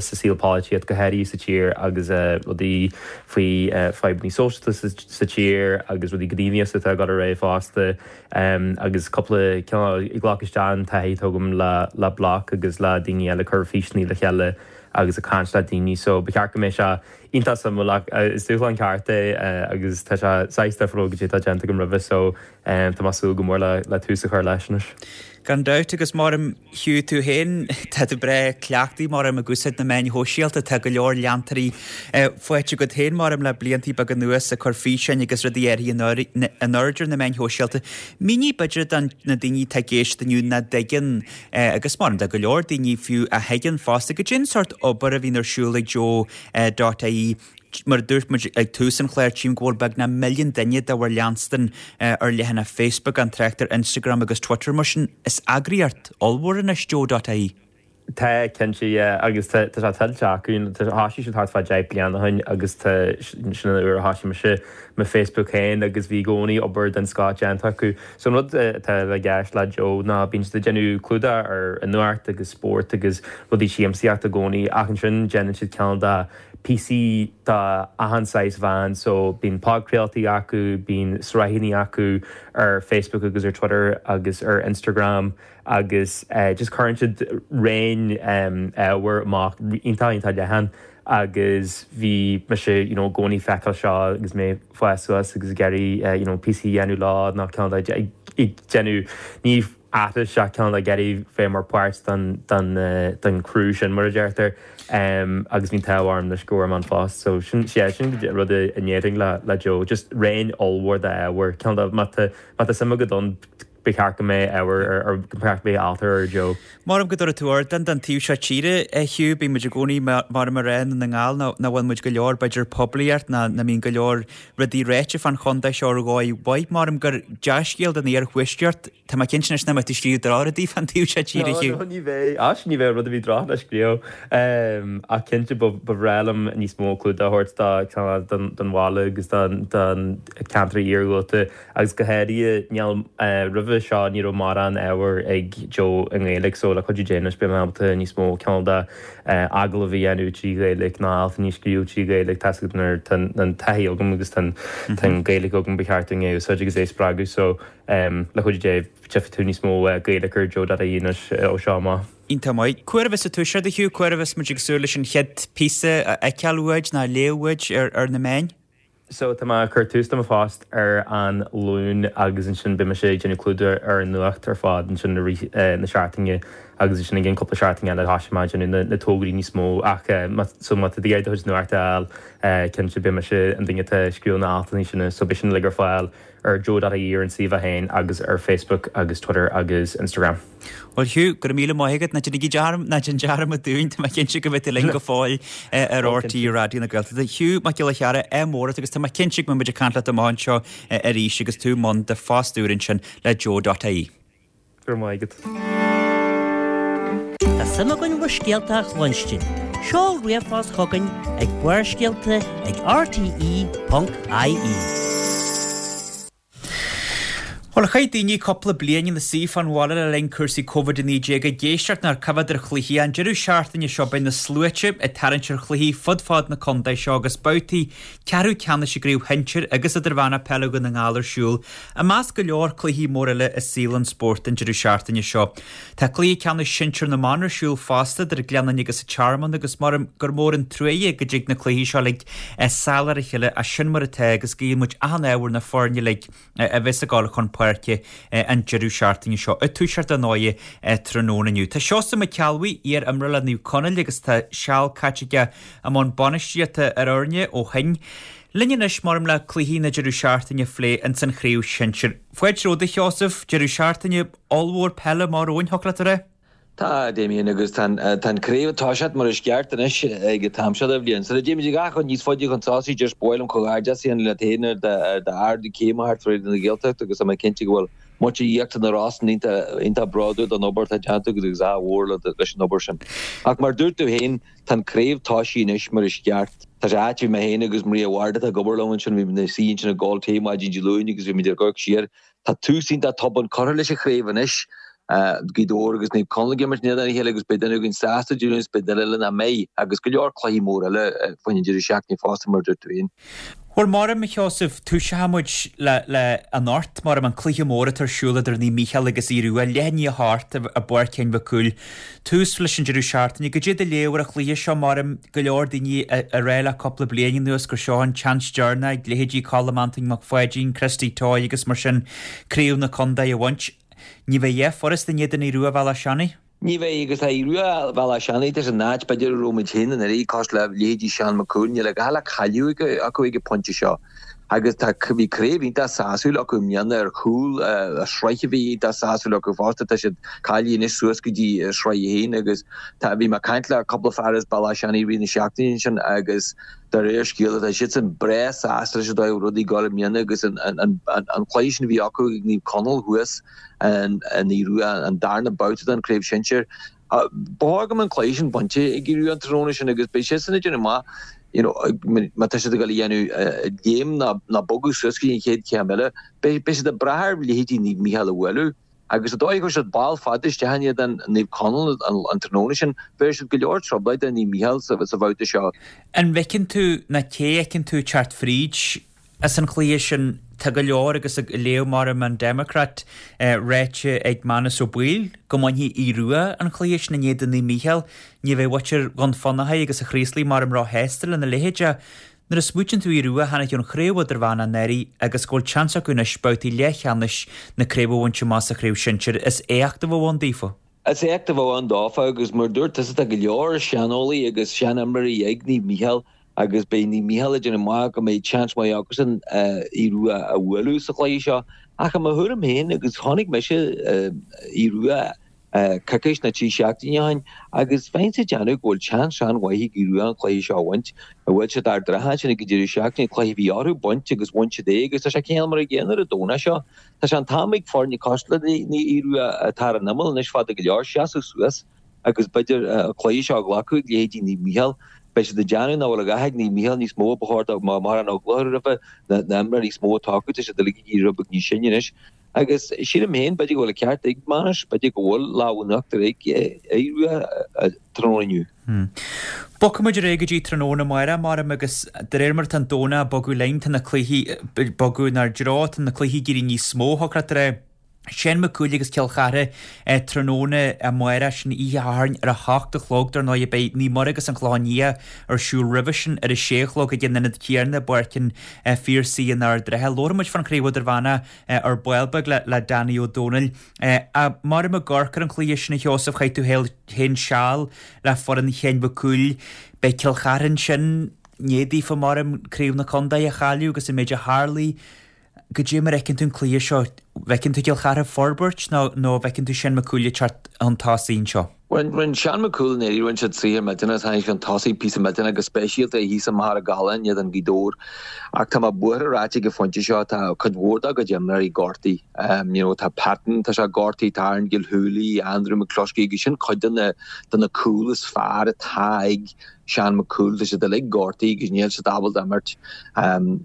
E: sa saol polaitíocht, go háirithe sa tír agus rudaí faoi fadhbanna sóisialta sa tír agus rudaí gníomhaíochta atá ag dul ar aghaidh fosta agus cúpla cineál ag glacadh isteach an taithí atá agam le Bloc agus le daoine eile ag cur físeanna le chéile agus ag caint le daoine so ba cheart go mbeidh sé iontach suimiúil ach is dúshlán ceart é agus tá sé saghas difriúil go dtí atá déanta agam roimhe so Tá mé ag súil go mór le tús a chur leis anois.
A: Gan dabht, agus maram Hugh tú féin, tá tú breá cleachtaithe maram ag úsáid na meáin shóisialta, tá go leor leantóirí faighte agat féin maram le bliantaí beaga anuas ag cur físeáin agus rudaí éirithe in airde ar na meáin shóisialta. Mínigh b'fhéidir do na daoine atá ag éisteacht inniu nach dtuigeann, agus maram do go leor daoine fiú a thuigeann fosta, goidé an sórt obair a bhíonn ar siúl ag Joe dot ie. Mar a dúirt muid ag tús an chláir, tchím go bhfuil beagnach milliún duine de bhur leanstan ar leathanach Facebook, gan trácht ar Instagram agus Twitter. Mar sin, is eagraíocht ollmhór anois Joe dot ie.
E: Tá, cinnte, yeah, agus tá tá sé tuillte acu. Thoisigh siad thart fá 10 bliana ó shin agus tá sin an uair a thoisigh mise mo Facebook féin agus bhí i gcónaí obair den scoth déanta acu. So an rud atá i gceist le Joe ná bíonn siad ag déanamh clúdach ar an nuacht agus spórt agus rudaí siamsaíochta i gcónaí ach ansin déanann siad cineál de píosaí d'achan saghas mheán so bíonn podchraoltaí acu, bíonn sraitheanna acu ar Facebook agus ar Twitter agus ar Instagram agus just cuireann siad raon ábhair amach iontach iontach leathan agus bhí mise you know i gcónaí ag feiceáil seo agus mé ag fás suas agus ag iarraidh you know píosaí a dhéanamh leo nó cineál de ag déanamh ní aithris ach cineál ag iarraidh bheith mar páirt den crew sin mar a deirtear agus bhí an t-ádh orm anois go bhfuair mé an post so sin yeah sin rud a ndéarfainn le le Joe just raon ollmhór d'ábhar cineál de má tá má tá suim agat ann. ba cheart go mbeadh ábhar ar, ba cheart go mbeadh alt ar Joe.
A: Maram go dtabharfaidh tú ardán don taobh seo tíre, a Hugh. Bíonn muid i gcónaí, maram ag rá i nDún na nGall, nach bhfuil muid go leor, b'fhéidir, poiblíocht, ná nach mbíonn go leor rudaí ráite fán chontae seo ar dhóigh mhaith. Maram gur dea-scéal don iarthuaisceart. Tá mé cinnte anois nach mbeidh tú ag scríobh drochrudaí fán taobh seo tíre, a Hugh.
E: No, no, ní bheidh. Ach ní bheidh rud ar bith droch le scríobh. Ach cinnte, ba bhreá liom níos mó clúdach a thabhairt do, don bhaile agus don ceantar iargúlta. Agus go háirithe, níl, roimhe seo ní raibh mórán ábhair ag Joe i nGaeilge so le cuidiú Dé anois beidh mé ábalta níos mó cineál de agallamh a dhéanamh trí Ghaeilge nó altanna a scríobh trí Ghaeilge, tá's agat nuair tá an taithí agam agus tá an Ghaeilge agam ba cheart dúinn é a úsáid agus é a spreagadh so le cuidiú Dé tchífidh tú níos mó Gaeilge ar Joe.ie anois ó seo amach.
A: Iontach maith. Cá huair a bheas tú ag toiseacht a Hugh, cá huair a bheas muid ag súil leis an chéad phíosa a fheiceáil uait nó a léamh uait ar na meáin?
E: So, tá mé ag cur tús le mo phost ar an Luan agus ansin beidh mise ag déanamh clúdach ar an nuacht ar fad ansin i rith na seachtaine agus ansin i gcionn cúpla seachtain eile thoisigh mé ag déanamh na tograí níos mó ach so má tá tú ag iarraidh do chuid nuachta a fháil cinnte beidh mise an duine atá ag scríobh na altanna sin so beidh sin uilig ar fáil ar joe.ie ar an suíomh féin agus ar Facebook agus Twitter agus Instagram.
A: Bhuel Hugh, go raibh míle maith agat, ná déanaigí dearmad, ná déan dearmad dúinn, tá mé cinnte go mbeidh tú linn go fóill ar RTÉ Raidió na Gaeltachta. Hugh Mac Giolla Chearra, ádh mór ort agus tá mé cinnte go mbeidh muid ag caint leat amach anseo arís agus tú i mbun do phost úr ansin le Joe.ie.
E: Go raibh maith agat.
D: Tá suim againn bhur scéalta a chluinstin. Seol ríomhphost chugainn ag barrscéalta ag rte.ie.
A: Bhuel, chaith daoine cúpla bliain ina suí fán bhaile le linn cúrsaí Covid-19 ag éisteacht nár coimhéad ar chluichí. An deireadh seachtaine seo beidh na sluaite ag tarraingt ar chluichí fud fad na contae seo agus babhtaí ceathrú ceannais i gcraobh shinsir agus idirmheánach peile Dhún na nGall ar siúl i measc go leor cluichí mór eile i saol an spóirt an deireadh seachtaine seo. Tá cluiche ceannais sinsir na mban ar siúl fosta idir Gleann Fhinne agus an Tearmann agus maram gur mór an truaighe go dtig na cluichí seo uilig sall ar a chéile ach sin mar atá agus guíonn muid achan ádh ar na foirne uilig a bheas ag dul chun páirce an deireadh seachtaine seo, ag toiseacht ar ndóighe tráthnóna inniu. Tá Seosamh Mac Ceallbhuí, iar-imreoir le Naomh Conaill agus tá seal caite aige i mbun bainistíochta ar fhoirne ó shin. Linn anois maram le cluichí na deireadh seachtaine a phlé ins an chraobh shinsir. Fáilte romhat a Sheosaimh, deireadh seachtaine ollmhór peile amach romhainn, thiocfadh leat a rá?
F: Tá, a Damien, agus tá an craobh ag toiseacht mar is ceart anois ag an t-am seo de bhliain. Sula dtéimid a dhath chun níos faide chun tosaigh, just ba mhaith liom comhghairdeas a dhéanamh leat féin ar d'ardú céime thart ar Raidió na Gaeltachta agus tá mé cinnte go bhfuil muintir Íochtar na Rosann iontach bródúil den obair atá déanta agat agus ádh mhór leis an obair sin. Ach mar dúirt tú féin, tá an craobh toisithe anois mar is ceart. Tá sé ait, bhí mé féin agus Maria Ward atá ag obair liom ansin, bhí muid ina suí ansin ag ól tae maidin Dé Luain agus bhí muid ag amharc siar Tá tús iontach tobann curtha leis an chraobh anois. Gaoth Dobhair agus Naomh Conaill ag imirt in éadan a chéile agus beidh duine againn sásta Dé Luain is beidh duine eile nach mbeidh agus go leor cluichí mór eile faoin deireadh seachtaine fosta mar a dúirt tú féin.
A: Bhuel, maram, a Sheosaimh, toiseoidh muid le, le anocht, maram, an cluiche mór atá ar siúl idir Naomh Mícheál agus Aodh Rua, leath i ndiaidh a hocht i bPáirc Sheáin Mhic Cumhaill. Tús leis an deireadh seachtaine. Goidé do léamh ar an chluiche seo, maram, go leor daoine ag rá le cúpla bliain anuas gur seo an tseans deireanach ag leithéidí Colm Antoine Mac Pháidín, Christy Toye agus mar sin craobh na contae a bhaint. Ní bheidh a dhath furasta in éadan Aodh Rua Bhealach Seanaidh.
F: Ní bheidh, agus tá Aodh Rua Bhealach Seanaidh, tá siad in áit b'fhéidir a raibh muid féin anuraidh, cosúil le leithéidí Seán Mac Cumhaill, níl a dhath le cailleadh acu ag an pointe seo. Agus tá, bhí craobh iontach sásúil acu i mbliana ar chúl, sraith a bhí iontach sásúil acu fosta, tá siad cáilithe anois suas go dtí sraith a haon agus tá, bhí mé ag caint le cúpla fear as Bealach Seanaidh i rith na seachtaine ansin agus de réir scéala tá siadsan breá sásta leis an dóigh a raibh rudaí ag dul i mbliana agus an, an, an, an cluiche sin a bhí acu ag Naomh Conaill thuas in Aodh Rua, an darna babhta den chraobh shinsir. Ba chóir go mbeadh an cluiche sin bainte ag Aodh Rua an tráthnóna sin agus beidh siadsan ag déanamh maith you know má tá siad ag dul a dhéanamh léim ná bogadh suas go dtí an chéad chéim eile. Beidh siad ag brath ar leithéidí Naomh Mícheál a bhualadh agus an dóigh a chuir siad ball fada isteach in éadan Naomh Conaill an tráthnóna sin, bhéarfaidh siad go leor trioblóid do Naomh Mícheál sa bhabhta seo.
A: An bhfeiceann tú ná cé a fheiceann tú ag teacht fríd As an chluiche sin, tá go leor agus ag léamh maram an Democrat ráite ag Manus Ó Baoill go mbainfidh Aodh Rua an chluiche sin in éadan Naomh Mícheál. Ní bheidh muintir Dhún Fionnachaidh agus an Chraoslaigh maram róshásta lena leithéid ach nuair a smaoitíonn tú Aodh Rua a tháinig ón chraobh idirmheánach anuraidh agus go bhfuil seans acu anois babhtaí leathcheannais na craoibhe a bhaint amach sa chraobh sinsir, is éacht a bheadh ann daofa.
F: Is éacht a bheadh ann dófa agus mar a dúirt tusa tá go leor seaneolaí agus seanimreoirí ag Naomh Mícheál. Agus beidh Naomh Mícheál ag déanamh amach go mbeidh seans maith acusan Aodh Rua a bhualadh sa chluiche seo. Ach i mo thuairim féin, agus chonaic mise Aodh Rua coicís nó 3 seachtaine ó shin, agus bheinnse ag déanamh go bhfuil seans an-mhaith ag Aodh Rua an cluiche seo a bhaint. Bhuail siad Ard an Rátha ansin ag an deireadh seachtaine, cluiche a bhí orthu baint agus bhain siad é agus tá sé cineál mar an gcéanna ar an Domhnach seo. Tá sé an t-am ag foirne cosúil le Aodh Rua atá ar an imeall anois fada go leor seasamh suas agus b'fhéidir an cluiche seo a ghlacadh ag leithéidí Naomh Mícheál. Beidh siad ag déanamh nach bhfuil a dhath ag Naomh Mícheál níos mó, ba chóir dóibh mórán eagla a chur roimhe na himreoirí níos mó atá acu, tá siad uilig ag éirí rud beag níos sine anois. Agus sílim féin, b'fhéidir go bhfuil an ceart ag Manus, b'fhéidir go bhfuil lámh in uachtar ag Aodh Rua tráthnóna inniu.
A: Bogfaidh muid ar aghaidh go dtí tráthnóna amárach, maram, agus de réir mar atá an Domhnach ag bogadh linn, tá na cluichí ag bogadh inár dtreo, tá na cluichí ag éirí níos mó, thiocfadh leat a rá. Seán Mac Cumhaill agus Cill Chartha tráthnóna amárach, sin oíche Shathairn ar a hocht a chlog. Dar ndóigh beidh Naomh Muire agus an Clochán Liath ar siúl roimhe sin ar a sé a chlog ag an ionad céanna i bPáirc an Phiarsaigh in Ard an Rátha. Labharfaidh muid fán Chraobh Idirmheánach ar ball beag le Danny Ó Dónaill. Maram ag amharc ar an chluiche sin a Sheosaimh, chaith tú féin seal le foireann Sheáin Mhic Cumhaill. Beidh Cill Chartha ansin i ndiaidh daofa maram Craobh na Contae a chailleadh agus an méid a tharlaigh. Goidé mar a fheiceann tú an cluiche seo, bhfeiceann tú Cill Chartha ag forbairt nó nó bhfeiceann tú Seán Mac Cumhaill ag teacht chun tosaigh anseo?
F: Rinne Seán Mac Cumhaill i ndáiríre, rinne siad saothar millteanach, tháinig chun tosaigh píosa millteanach go speisialta thíos i Machaire Gallán in éadan Ghaoth Dobhair. Ach tá mé buartha ráite ag an phointe seo, tá cuid mhór dá gcuid imreoirí gortaithe. You know, tá Patton, tá sé gortaithe, tá Aaron Gilhooly, Andrew McCluskey agus sin cuid de na de na cúil is fearr atá ag Seán Mac Cumhaill, tá siad uilig gortaithe agus níl siad ábalta imirt.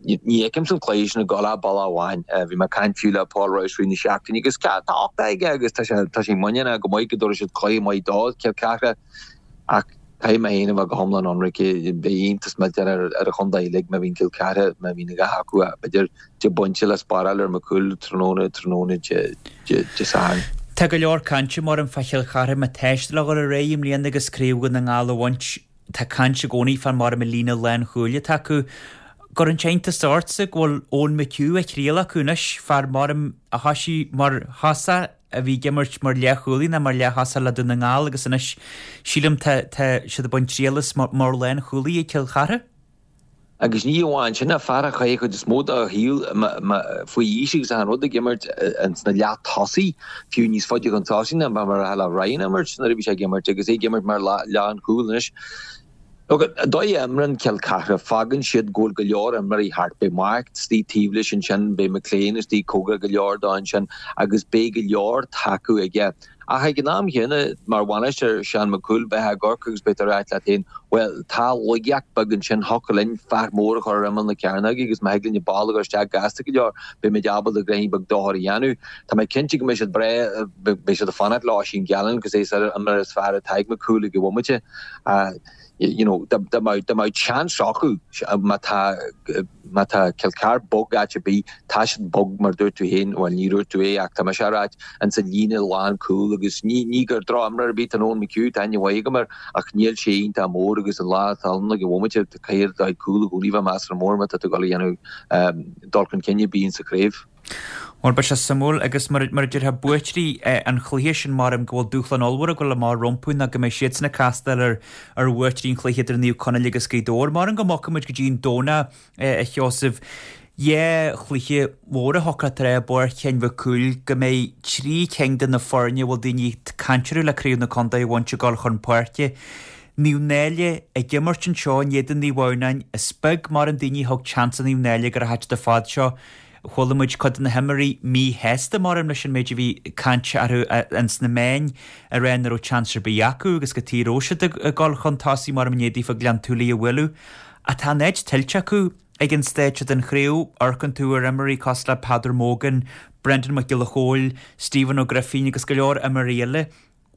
F: Ní fheicimse an cluiche sin ag dul ach bealach amháin. Bhí mé ag caint fiú le Paul Rouse faoi na seachtaine agus tá uchtach aige agus tá sé tá sé muiníneach go maith go dtabharfaidh siad cluiche maith dó, Cill Chartha. Ach caithfidh mé féin a bheith go hiomlán ionraic, beidh iontas millteanach ar ar an chontae uilig má bhíonn Cill Chartha, má bhíonn a dhath acu b'fhéidir deich bpointe le spáráil ar Mac Cumhaill tráthnóna tráthnóna Dé Sathairn.
A: Tá go leor cainte maram fá Chill Chartha má tá siad le dhul ar aghaidh i mbliana agus Craobh Dhún na nGall a bhaint. Tá caint i gcónaí fán maram an líne lánchúil atá acu. Gcuireann sé iontas ortsa go bhfuil Eoin McHugh á thriail acu anois, fear maram a thoisigh mar thosach a bhí ag imirt mar leathchúlaí nó mar leath-thosach le Dún na nGall agus anois sílim tá tá siad ag baint triail as mar lánchúlaí ag Cill Chartha.
F: Agus ní amháin sin, ach fear a chaith an chuid is mó dá shaol faoi aois agus achan rud ag imirt sna leath-tosaigh, fiú níos faide chun tosaigh ná mar a bhí Ryan ag imirt nuair a bhí sé ag imirt, agus é ag imirt mar lánchúl anois. Look, an dóigh a imríonn Cill Chartha, fágann siad go bhfuil go leor imreoirí thart. Beidh Mark istigh taobh leis ansin, beidh McLean istigh cóngarach go leor dó ansin agus beidh go leor tacú aige. Ach ag an am chéanna, mar bhainisteoir Seán Mac Cumhaill, beifeá ag amharc agus beidh tú ag ráit leat féin, bhuel, tá laigeacht beag ansin, thiocfadh linn fear mór a chur ar imeall na cearnóige agus má thig linn an ball a chur isteach gasta go leor, beimid ábalta gnoithí beag dochair a dhéanamh. Tá mé cinnte go mbeidh siad breá, beidh siad ag fanacht le Oisín Gallen agus é an imreoir is fearr atá ag Mac Cumhaill ag an bhomaite. You know, dá mbeadh chance acu, má tá, Má tá Cill Chartha bog áit ar bith, tá siad bog mar dúirt tú féin, bhuel ní dúirt tú é ach tá mise á ráit, ins an líne lán cúl agus ní ní gur droch-imreoir ar bith atá in Eoin McHugh, tá aithne mhaith agam air ach níl sé iontach mór agus an lá atá ann ag an bhomaite caithfidh do chuid cúl i gcónaí bheith measartha mór má tá tú ag dul a dhéanamh dul chun cinn ar bith ins an chraobh.
A: Bhuel, beidh sé suimiúil agus mar mar a déarfá buaiteoirí an chluiche sin maram go bhfuil dúshlán ollmhór ag dul amach rompu ná go mbeidh siadsan ag castáil ar ar bhuaiteoirí an chluiche idir Naomh Conaill agus Gaoth Dobhair. Maram go mbogfaidh muid go dtí an Domhnach, a Sheosaimh. Dhá chluiche mhóra a thiocfadh leat a rá i bPáirc Sheáin Mhic Cumhaill go mbeidh trí cinn de na foirne a bhfuil daoine ag caint orthu le Craobh na Contae a bhaint ag dul chun páirce. Naomh Náille ag imirt anseo in éadan Naomh Adhamhnáin. Is beag maram daoine a thug seans do Naomh Náille ag gabháil an fad seo. Chuala muid cuid de na himreoirí míshásta maram leis an méid a bhí cainte orthu ins na meáin ag rá nach raibh chance ar bith acu agus cad chuige a raibh siad ag dul chun tosaigh maram i ndiaidh daofa Gleann tSúilí a bhualadh. Ach tá an áit tuillte acu ag an stáid seo den chraobh. Amharcann tú ar imreoirí cosúil le Peadar Mogan, Brendan Mac Giolla Chóill, Stephen Ó Grifín agus go leor imreoirí eile.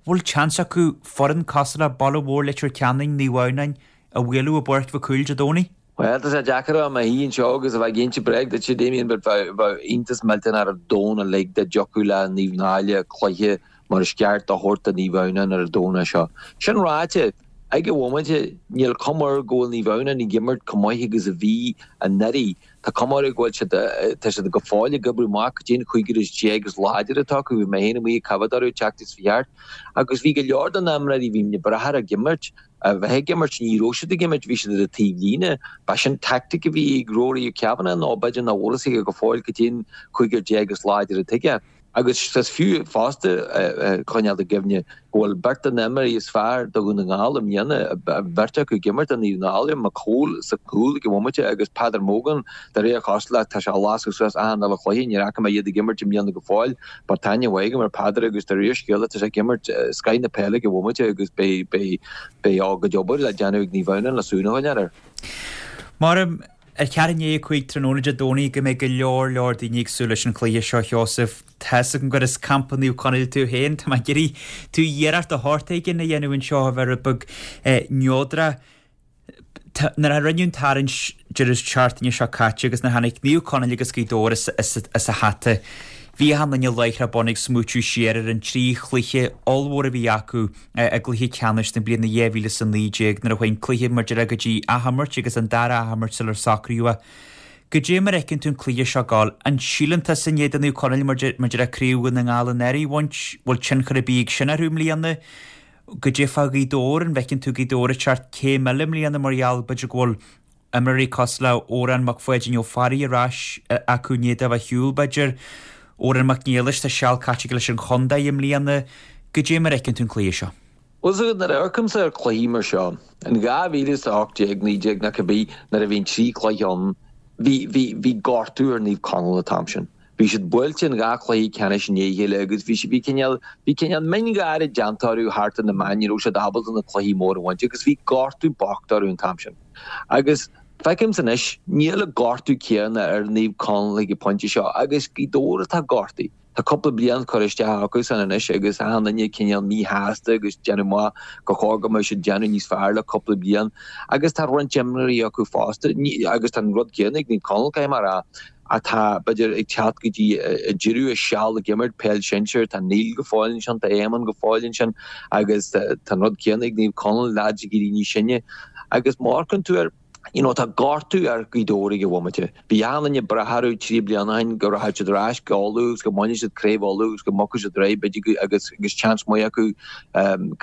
A: Bhfuil chance acu foireann cosúil le Baile Mhóir Leitir Ceanainn, Naomh Adhamhnáin a bhualadh i bPáirc Mhic Cumhaill Dé Domhnaigh?
F: Bhuel, tá sé deacair a bheith i mo shuí anseo agus a bheith ag inse bréag duit, a Damien, but bheadh iontas millteanach ar an domhan uilig dá dtiocfadh le Naomh Náille cluiche mar is ceart a thabhairt do Naomh Adhamhnáin ar an Domhnach seo. Sin ráite, ag an bhomaite, níl cuma air go bhfuil Naomh Adhamhnáin ag imirt chomh maith agus a bhí anuraidh. Tá cuma orthu go bhfuil siad, tá siad go fóill ag oibriú amach cad é an cúigear is déag is láidre atá acu. Bhí mé féin amuigh ag coimhéad orthu an tseachtain seo chuaigh thart agus bhí go leor de na himreoirí, bhí mé ag brath ag imirt. a bheith ag imirt, ní raibh siad ag imirt, bhí siad ar an taobhlíne. Ba sin tactic a bhí ag Rory Kavanagh nó b'fhéidir nach bhfuil a fhios aige go fóill cad é an cúigear is láidre atá aige. Agus is fiú fosta coinneáil i gcuimhne go bhfuil beirt de na himreoirí is fearr do Dhún na nGall i mbliana, an bheirt acu ag imirt do Naomh Náille, McCole sa chúl ag an bhomaite agus Peadar Mogan, de réir cosúlachta tá sé ag lasadh suas achan uile chluiche, níor fhaca mé iad ag imirt i mbliana go fóill but tá aithne mhaith agam ar Peadar agus de réir scéala tá sé ag imirt scoth na peile ag an bhomaite agus beidh beidh a gcuid obair le déanamh ag Naomh Adhamhnáin le súil a choinneáil air.
A: Maram ar cheathrú i ndiaidh 5 tráthnóna Dé Domhnaigh go mbeidh go leor leor daoine ag súil leis an chluiche seo, a Sheosaimh. Tá's agam gur as campa Naomh Conaill tú féin. Tá mé ag iarraidh tú iarracht de shórt éigin a dhéanamh anseo a bheith rud beag neodrach. Nuair a rinneadh an tarraingt deireadh seachtaine seo caite agus nuair a tháinig Naomh Conaill agus Gaoth Dobhair as an hata, bhí achan duine láithreach bonn ag smaoitiú siar ar an trí chluiche ollmhór a bhí acu i gcluiche ceannais na bliana 2019 nuair a chuaigh an cluiche mar a déarfá go dtí athimirt agus an dara athimirt sular socraíodh é. Goidé mar a fheiceann tú an cluiche seo ag gabháil? An síleann tusa i ndiaidh do Naomh Conaill mar a déarfá Craobh Dhún na nGall anuraidh a bhaint, bhfuil tionchar ar bith ag sin orthu i mbliana? Goidé fá Ghaoth Dobhair, an bhfeiceann tú Gaoth Dobhair ag teacht céim eile i mbliana mar gheall b'fhéidir go bhfuil imreoirí cosúil le Odhrán Mac Pháidín Ó Fearraigh ar ais acu i ndiaidh dó a bheith ar shiúl, b'fhéidir. Odhrán Mac Niallais, tá seal caite aige leis an chontae i mbliana. Goidé mar a fheiceann tú an cluiche seo?
F: Bhuel, so nuair a amharcaimse ar chluichí mar seo, in 2018, 19 nó cibé, nuair a bhí an trí chluiche ann, bhí, bhí, bhí gortú ar Naomh Conaill an t-am sin. Bhí siad buailte in dhá chluiche ceannais i ndiaidh a chéile agus bhí, bhí cineál, bhí cineál miongháire déanta orthu thart ar na meáin, ní raibh siad ábalta na cluichí móra a bhaint agus bhí gortú bocht orthu an t-am sin. Agus feicimse anois, níl an gortú céanna ar Naomh Conaill ag an bpointe seo agus Gaoth Dobhair atá gortaithe. Tá cúpla bliain curtha isteach acu san anois agus achan duine cineál míshásta agus déanamh amach gur chóir go mbeadh siad déanamh níos fearr le cúpla bliain agus tá roinnt imreoirí acu fosta agus tá an rud céanna ag Naomh Conaill, caithfidh mé a rá, atá, b'fhéidir, ag teacht go dtí deireadh a seal ag imirt peil sinsir. Tá Neil go fóill ansin, tá Éamonn go fóill ansin agus tá an rud céanna ag Naomh Conaill, leaids ag éirí níos sine. Agus má amharcann tú air, you know, tá gortú ar Ghaoth Dobhair ag an bhomaite. Bhí achan duine ag brath orthu 3 bliana ó shin go rachadh siad ar ais go Uladh agus go mbainfeadh siad Craobh Uladh agus go mbogfadh siad ar aghaidh, b'fhéidir, agus agus seans maith acu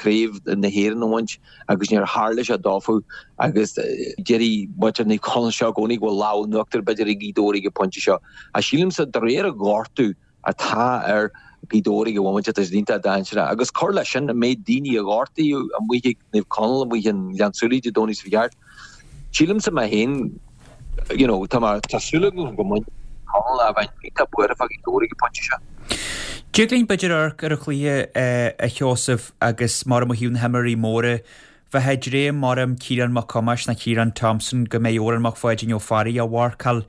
F: Craobh na hÉireann a bhaint. agus níor tharla sé dófa agus déarfaidh muintir Naomh Conaill seo i gcónaí go bhfuil lámh in uachtar b'fhéidir ag Gaoth Dobhair ag an bpointe seo. Ach sílimse de réir an ghortú atá ar Ghaoth Dobhair ag an bhomaite tá siad iontach dainséarach. Agus cur leis sin an méid daoine a gortaíodh amuigh ag Naomh Conaill amuigh i nGleann tSúilí Dé Domhnaigh seo thart, sílimse mé féin you know, tá mé, tá súil agam go mbainfidh Conaill ach bheinn iontach buartha fá Ghaoth Dobhair ag an bpointe seo.
A: Dtig linn b'fhéidir amharc ar an chluiche a Sheosaimh agus mar ó thaobh na himreoirí móra bheith ag dréim orm Ciarán Mac Thomáis nó Ciarán Thompson go mbeidh Odhrán Mac Pháidín Ó Fearraigh á mharcáil.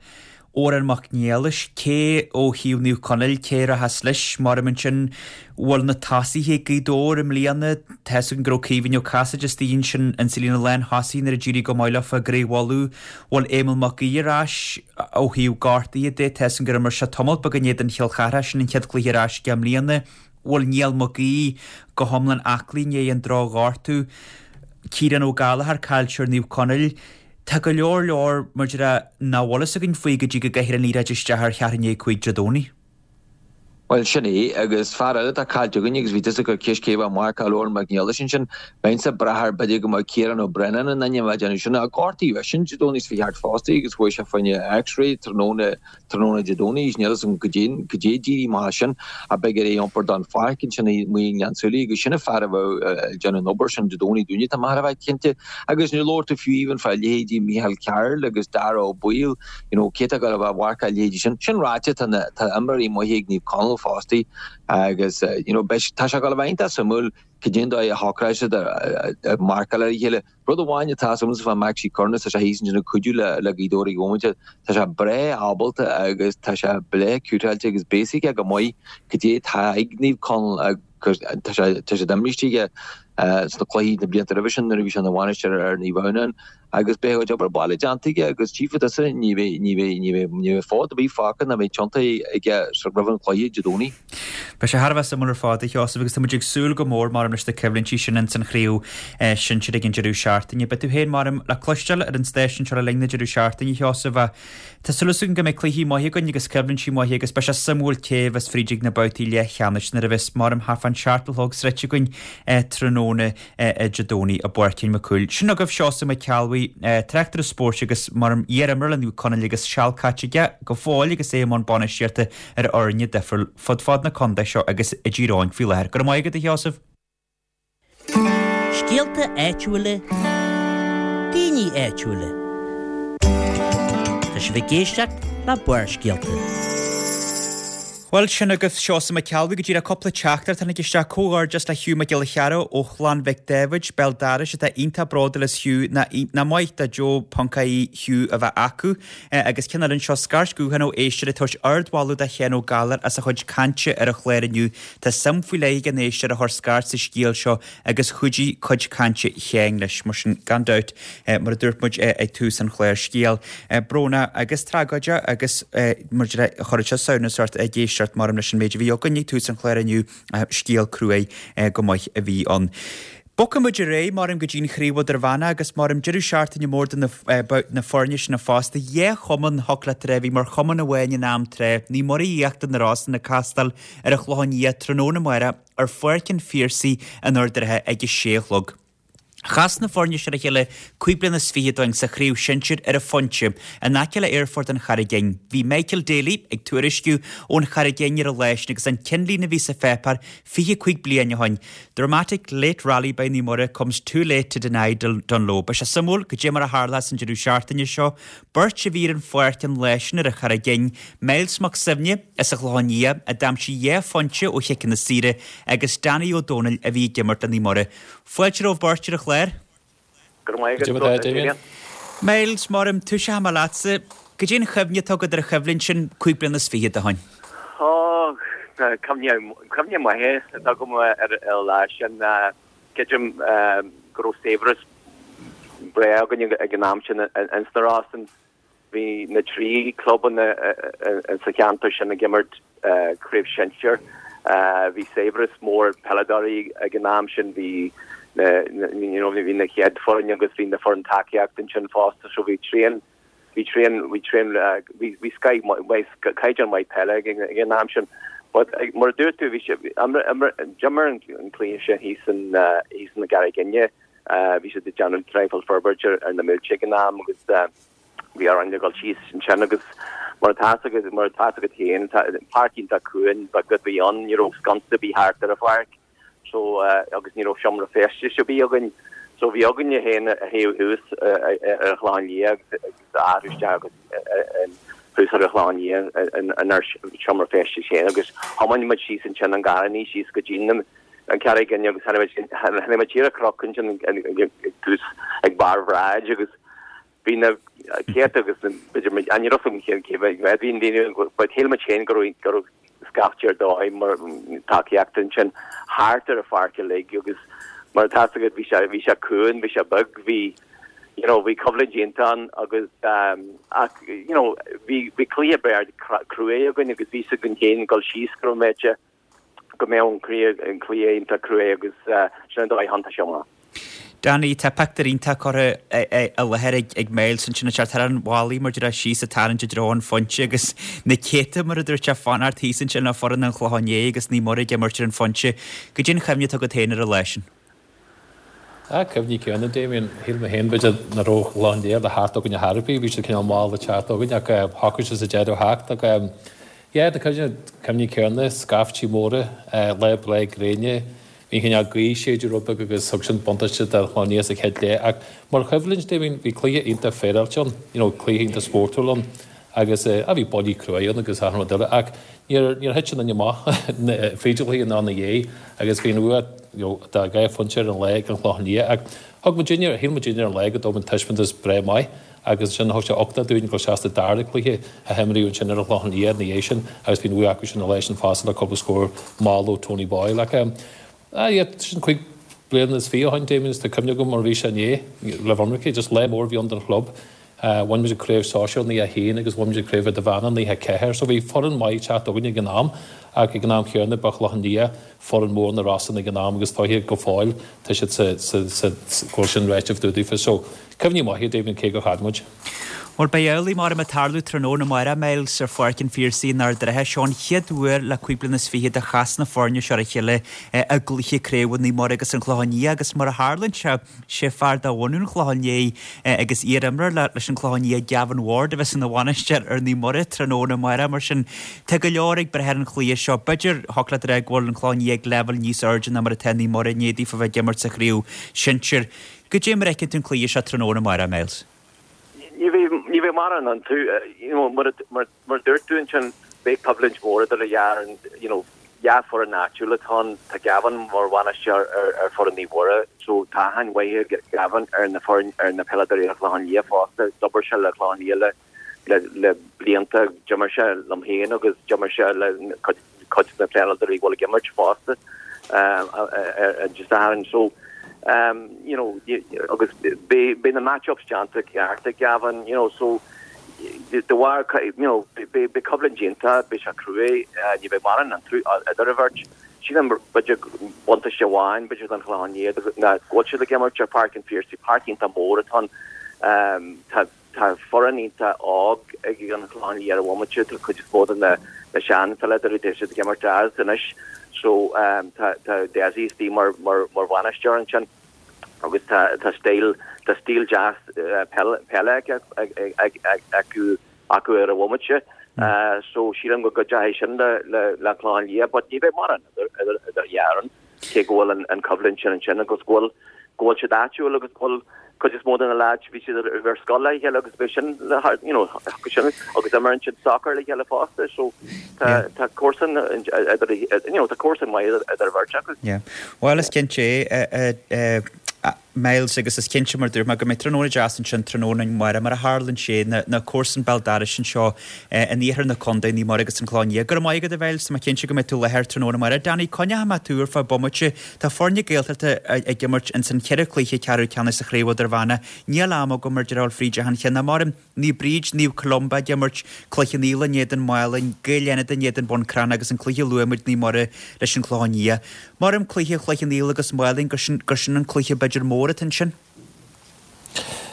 A: Odhrán Mac Niallais, cé ó thaobh Naomh Conaill, cé a rachas leis? Maram ansin, bhfuil na tosaithe ag Gaoth Dobhair i mbliana, tá fhios againn go raibh Caoimhín Ó Casaide istigh ansin insa líne lán-thosaigh nuair a d'éirigh go maith leofa i gCraobh Uladh. Bhfuil Éamonn Mac Aoidh ar ais ó thaobh gortaithe de, tá fhios againn gur imir sé tamall beag in éadan Chill Chartha, sin an chéad chluiche ar ais aige i mbliana. Bhfuil Niall Mac Aoidh go hiomlán aclaí i ndiaidh an droch-ghortú? Ciarán Ó Gallchóir, caillteoir Naomh Conaill. Tá go leor leor mar a déarfá nach bhfuil fhios againn faoi go dtí go gcaithfear an liathróid isteach ar cheathrú i ndiaidh 5 Dé Domhnaigh.
F: Bhuel, sin é, agus fear eile atá caillte againn agus bhí tusa ag cur ceist cé a bheadh ag marcáil Odhrán Mac Niallais ansin, bheinnse ag brath air b'fhéidir go mbeadh Ciarán Ó Braonáin in ainm a bheith ag déanamh sin ach gortaíodh eisean Dé Domhnaigh seo thart fosta agus chuaigh sé fá choinne X-ray tráthnóna Tráthnóna Dé Domhnaigh, níl fhios agam goidé goidé d'éirigh amach as sin, ach beidh air é a iompar don pháirc ansin amuigh i nGleann tSúilí agus sin an fear a bheadh ag déanamh an obair sin Dé Domhnaigh dúinne, tá mé thar a bheith cinnte. Agus níor labhair tú fiú even fá leithéidí Micheál Carroll agus Dara Ó Baoill, you know, cé atá ag gabháil a bheith ag marcáil a leithéidí sin. Sin ráite, tá na, tá imreoirí maithe ag Naomh Conaill fosta agus, you know, beidh, tá sé ag gabháil a bheith iontach suimiúil cad é an dóigh a shocróidh siad ag marcáil ar a chéile. Rud amháin atá agamsa fá Maxie Curnis, tá sé thíos ansin ag cuidiú le le Gaoth Dobhair ag an bhomaite. Tá sé breá ábalta agus tá sé breá cútáilte agus beidh a fhios aige go maith cad é atá ag Naomh Conaill agus tá sé tá sé imrithe aige sna cluichí na blianta roimhe sin nuair a bhí sé ina bhainisteoir ar Naomh Adhamhnáin agus beidh a chuid obair baile déanta aige agus tchífidh tusa ní bheidh ní bheidh ní bheidh ní bheidh fód ar bith fágtha ná beidh tiontaithe aige roimh an chluiche Dé Domhnaigh.
A: Beidh sé thar a bheith suimiúil ar fad, a Sheosaimh, agus tá muid ag súil go mór, maram, leis na coimhlintí sin ins an chraobh sinsir ag an deireadh seachtaine. Beidh tú féin, maram, le cloisteáil ar an stáisiún seo le linn na deireadh seachtaine, a Sheosaimh, ach tá súil againn go mbeidh cluichí maithe againn agus coimhlintí maithe agus beidh sé suimiúil cé a bheas fríd ag na babhtaí leathcheannais nuair a bheas, maram, thart fán seacht a chlog sroichte againn tráthnóna Dé Domhnaigh i bPáirc Fhinn Mac Cumhaill. Sin agaibh Seosamh Mac Ceallbhuí, tráchtaire spóirt agus, maram, iar-imreoir le Naomh Conaill agus seal caite aige go fóill agus é i mbun bainistíochta ar fhoirne difriúil fud fad na contae seo agus i dTír Eoghain faoi láthair. Go raibh maith agat, a Sheosaimh.
D: Scéalta áitiúla, daoine áitiúla. Tá sibh ag éisteacht le Barrscéalta.
A: Bhuel, sin agaibh Seosamh Mac Ceallbhuí go díreach cúpla teachtaireacht a tháinig isteach. Comhghairdeas le Hugh Mac Giolla Chearra ó Chlann Mhic Dáibhid, Béal Dorais, atá iontach bródúil as Hugh, nach maith do Joe ponc ie Hugh a bheith acu. Agus ceann eile anseo, scairt ghutháin ó éisteoir ag tabhairt ardmholadh do Sheán Ó Gallchóir as a chuid cainte ar an chlár inniu. Tá suim faoi leith ag an éisteoir a chuir scairt sa scéal seo agus chuidigh cuid cainte Sheáin leis. Mar sin, gan dabht, mar a dúirt muid ag tús an chláir, scéal brónach agus tragóideach agus mar a deir, chuirfeadh sé samhnas ort ag éisteacht maram leis an méid a bhí againn ag tús an chláir inniu, scéal cruaidh go maith a bhí ann. Bogfaidh muid ar aghaidh, maram, go dtí an Chraobh Idirmheánach agus maram deireadh seachtaine mór do na foirne sin fosta. Dhá chumann, thiocfadh leat a rá, a bhí mar chumann amháin in am tráth, Naomh Muire Íochtar na Rosann ag castáil ar an Chlochán Liath tráthnóna amárach ar Pháirc an Phiarsaigh in Ard an Rátha ag a sé a chlog. Chas na foirne seo le chéile 25 bliana ó shin sa chraobh shinsir ar an Phointe, in aice le Aerfort an Charraig Fhinn. Bhí Michael Daly ag tuairisciú ón Charraig Fhinn ar an lá sin agus an cinnlíne a bhí sa pháipéar 25 bliain ó shin, Dramatic late rally by Naomh Muire comes too late to deny Dungloe. Beidh sé suimiúil cad é mar a tharlós an deireadh seachtaine seo. Beirt a bhí ar an pháirc an lá sin ar an Charraig Fhinn, Myles Mac Suibhne as an Chlochán Liath a d'aimsigh dhá phointe ó chiceanna saora agus Danny Ó Dónaill a bhí ag imirt le Naomh Muire. Fáilte romhaibh beirt ar an chlár.
G: Go raibh maith agat, a Damien.
A: Myles, maram, toiseochaidh mé leatsa. Cad é an chuimhne atá agat ar an choimhlint sin 25 bliana ó shin?
G: Ó, cuimhne maith atá agam ar an lá sin. Creidim go raibh saibhreas breá againn ag an am sin ins na Rosann. Bhí na trí clubanna sa cheantar sin ag imirt craobh shinsir. Bhí saibhreas mór peileadóirí ag an am sin. Bhí na you know bhí na chéad foireann agus bhí na foireann tacaíochta ansin fosta so bhí tréan bhí tréan bhí tréan bhí scoth maith caighdeán maith peile ag an am sin. But mar a dúirt tú bhí sé d'imir an cluiche sin thíos in thíos in na gCarraig Fhinne. Bhí siad ag déanamh traidhfil forbairt ar na mílte ag an am agus bhí orainn a dhul síos ansin agus mar atá agat mar atá agat féin páirc iontach cúng beag a bhí ann, ní raibh sconsa ar bith thart ar an pháirc so agus ní raibh seomra feistis ar bith againn so bhí againne féin a théamh thuas ar an Chlochán Liath agus a athrú isteach agus thuas ar an Chlochán Liath inár seomra feistis féin agus thiomáin muid síos ansin an garraí síos go dtí na an Charraig Fhinn agus tháinig muid siar an cnoc ansin ag tús ag barr Bhráid agus bhí na céadta agus b'fhéidir ní raibh a fhios agam cé mhéad bhí an daoine but shíl muid féin go raibh go raibh scaifte ar dóigh mar tacaíocht ansin thart ar an pháirc uilig agus mar atá a fhios agat bhí sé bhí sé cúng bhí sé beag bhí you know bhí coimhlint iontach ann agus ach you know bhí bhí cluiche breá cruaidh againn agus bhí a fhios againn féin dul síos go raibh mé go mbeadh an cluiche iontach cruaidh agus sin an dóigh a thiontaigh sé amach.
A: Danny, tá pictiúr iontach curtha i láthair ag Myles ansin ag teacht thar an bhallaí mar a déarfá síos ag tarraingt i dtreo an phointe agus na céadta mar a dúirt sé fanacht thíos ansin le foireann an Chlocháin Léith agus Naomh Muire ag imirt ar an phointe. Cad é an chuimhne atá agat féin ar an lá sin?
H: Ah, cuimhní céanna, Damien. Shíl mé féin, b'fhéidir, nach raibh an Clochán Liath le theacht chugainn ar chor ar bith. Bhí siad cineál mall ag teacht chugainn ach shocraigh siad sa deireadh theacht. Ach yeah, na cuimhní, cuimhní céanna, scaiftí móra, lá breá gréine. Bhí an cineál gaoth ag séideadh rud beag agus thug sin buntáiste don Chlochán Liath sa chéad leath. Ach mar choimhlint, Damien, bhí cluiche iontach féaráilte ann, you know, cluiche iontach spórtúil ann. Agus ah bhí buillí cruaidh ann agus achan rud eile ach níor níor thit aon duine amach fríd an chluiche ná ina dhiaidh agus bhí an bhua you know de dhá phointe ar an lá ag an Chlochán Liath ach thug muidinne, shíl muidinne ar an lá go dtóg muid taispeántas breá maith agus ansin thug sé uchtach dúinn dul isteach sa dara cluiche a himríodh ansin ar an Chlochán Liath ina dhiaidh sin agus bhí an bhua acu sin an lá sin fosta le cúpla scór mall ó Tony Boyle ach ah yeah sin 25 bliana ó shin Damien is tá cuimhne agam mar a bhí sé inné le ionraice just lá mór a bhí ann don chlub. Bhain muid an craobh sóisear 91 agus bhain muid an craobh idirmheánach 94 so bhí foireann maith ag teacht againn ag an am ach ag an am chéanna ba Chlochán Liath foireann mór na Rosann ag an am agus dóiche go fóill tá siad sa sa sa go bhfuil sin ráite daofa so cuimhní maithe Damien cé gur chaill muid.
A: Bhuel beidh amhlaidh mar ag tarlú tráthnóna amárach Myles ar Pháirc an Phiarsaigh in Ard an Rátha. Seo an chéad uair le 25 bliana a chas na foirne seo ar a chéile i gcluiche craoibhe Naomh Muire agus an Clochán Liath agus mar a tharlaíonn sé, sé fear de bhunadh an Chlocháin Léith agus iar-imreoir leis an Clochán Liath, Gavin Ward, a bheas ina bhainisteoir ar Naomh Muire tráthnóna amárach. Mar sin, tá go leor ag brath ar an chluiche seo. B'fhéidir, thiocfadh leat a rá go bhfuil an Clochán Liath ag leibhéal níos airde ná mar atá Naomh Muire i ndiaidh daofa bheith ag imirt sa chraobh sinsir. Goidé mar a fheiceann tú an cluiche seo tráthnóna amárach, Myles?
G: Ní bheidh, ní bheidh mórán iontu. You know, mar, mar, mar a dúirt tú ansin, beidh coimhlint mhór idir an dhá fhoireann, you know, dhá foireann áitiúil atá ann. Tá Gavin mar bhainisteoir ar, ar foireann Naomh Muire, so tá aithne mhaith ag Gavin ar na foireann, ar na peileadóirí ar Chlochán Liath fosta. D'obair sé le Clochán Liath le, le, le blianta. D'imir sé liom féin agus d'imir sé le cuid, cuid de na peileadóirí a bhfuil ag imirt fosta Dé Sathairn. So, you know, agus beidh na match-ups déanta ceart ag Gavin, you know, so de bharr, you know, beidh coimhlint iontach, beidh sé cruaidh, ní bheidh mórán iontu idir an bheirt. Sílim b'fhéidir buntáiste amháin b'fhéidir don Chlochán Liath ná go bhfuil siad ag imirt ar Pháirc an Phiarsaigh, páirc iontach mór atá ann. Tá Tá foireann iontach óg ag an Chlochán Liath ar an bhomaite, tá cuid is mó de na sean-pheileadóirí, tá siad ag imirt as anois so tá tá Dessie istigh mar mar mar bhainisteoir ansin agus tá tá stíl tá stíl deas peile peile acu acu ar an bhomaite so sílim go gcuideoidh sin le le le an Clochán Liath but ní bheidh mórán idir idir idir dhá fhoireann. cé go bhfuil an choimhlint sin ansin agus go bhfuil go bhfuil siad áitiúil agus go bhfuil cuid is mó de na leaids bhí siad ar scoil le chéile agus beidh sin le you know sin agus imríonn siad soccer le chéile fosta so tá tá comharsan idir you know tá comharsan maith idir an bheirt acu.
A: Yeah. Bhuel is cinnte é Myles agus is cinnte mar dúirt mé go mbeidh tráthnóna deas ansin tráthnóna amárach mar a tharlaíonn sé na comharsain béal dorais anseo in iarthar na contae, Naomh Muire agus an Clochán Liath. Go raibh maith agat a Mhyles, tá mé cinnte go mbeidh tú i láthair tráthnóna amárach. Danny, coinneoidh mé tú ar feadh bomaite. Tá foirne Gaeltachta ag imirt ins an cheithre chluiche ceathrú ceannais sa Chraobh Idirmheánach. Níl am agam ar deireadh a ghabháil fríd achan cheann. Ach mar. Naomh Bríd, Naomh Columba ag imirt, Cloich Cheann Fhaola in éadan Málainn, Gaeil Fhánada in éadan Bun Cranncha agus an cluiche a luaigh muid Naomh Muire leis an Chlochán Liath. Maram cluiche Chloich Cheann Fhaola agus Málainn gur sin gur sin an cluiche b'fhéidir mór atá ansin.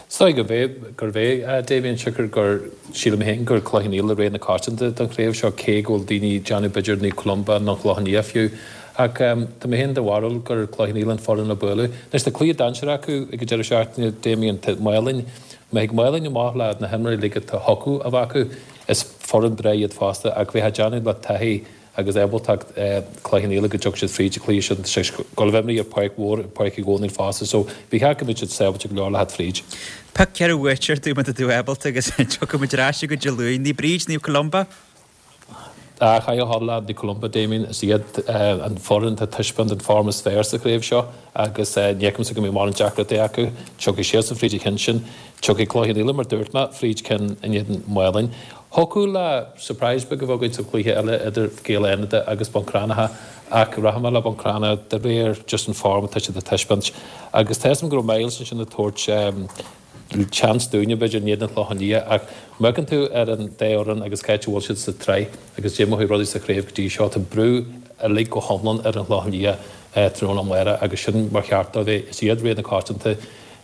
H: Is dóigh gurb é gurb é Damien siocair gur sílim féin gur Cloich Cheann Fhaola rogha na coitianta don chraobh seo cé go bhfuil daoine ag déanamh b'fhéidir Naomh Columba nó an Clochán Liath fiú. Ach tá mé féin de bharúil gur Cloich Cheann Fhaola an foireann le bualadh. Anois tá cluiche dainséarach acu ag an deireadh seachtaine Damien, tá Málainn Má thig Málainn amach le na himreoirí uilig atá chucu a bheith acu, is foireann breá iad fosta ach bheifeá ag déanamh le taithí agus ábaltacht Cloich Cheann Fhaola go dtiocfaidh siad fríd an cluiche sin. Tá sé ag gabháil a bheith imeartha ar pháirc mhór, Páirc Uí Dhónaill fosta so ba cheart go mbeadh siad sábháilte go leor le theacht fríd.
A: Pioc 4 bhuaiteoir dúinn má tá tú ábalta agus tiocfaidh muid ar ais chugat Dé Luain. Naomh Bríd, Naomh Columba.
H: Ach caithfidh a ghabháil le Naomh Columba, Damien, is iad an foireann atá ag taispeáint an form is fearr sa chraobh seo agus ní fheicimse go mbeidh mórán deacrachtaí acu. Tiocfaidh siadsan fríd an cheann sin. Tiocfaidh Cloich Cheann Fhaola, mar dúirt mé, fríd ceann in éadan Mhálainn. Thiocfadh le surprise beag a bheith againn sa chluiche eile idir Gaeil Fhánada agus Bun Cranncha ach rachaidh mé le Bun Cranncha de réir just an form atá siad ag taispeáint. Agus tá a fhios agam go raibh Myles ansin ag tabhairt seans dúinne, b'fhéidir, in éadan an Chlocháin Liath, ach má amharcann tú ar an dá fhoireann agus cá háit a bhfuil siad sa tsraith agus cad é mar a chuaigh rudaí sa chraobh go dtí seo, tá brú uilig go hiomlán ar an Chlochán Liath tráthnóna amárach agus sin mar cheart dóibh é. Is iad rogha na coitianta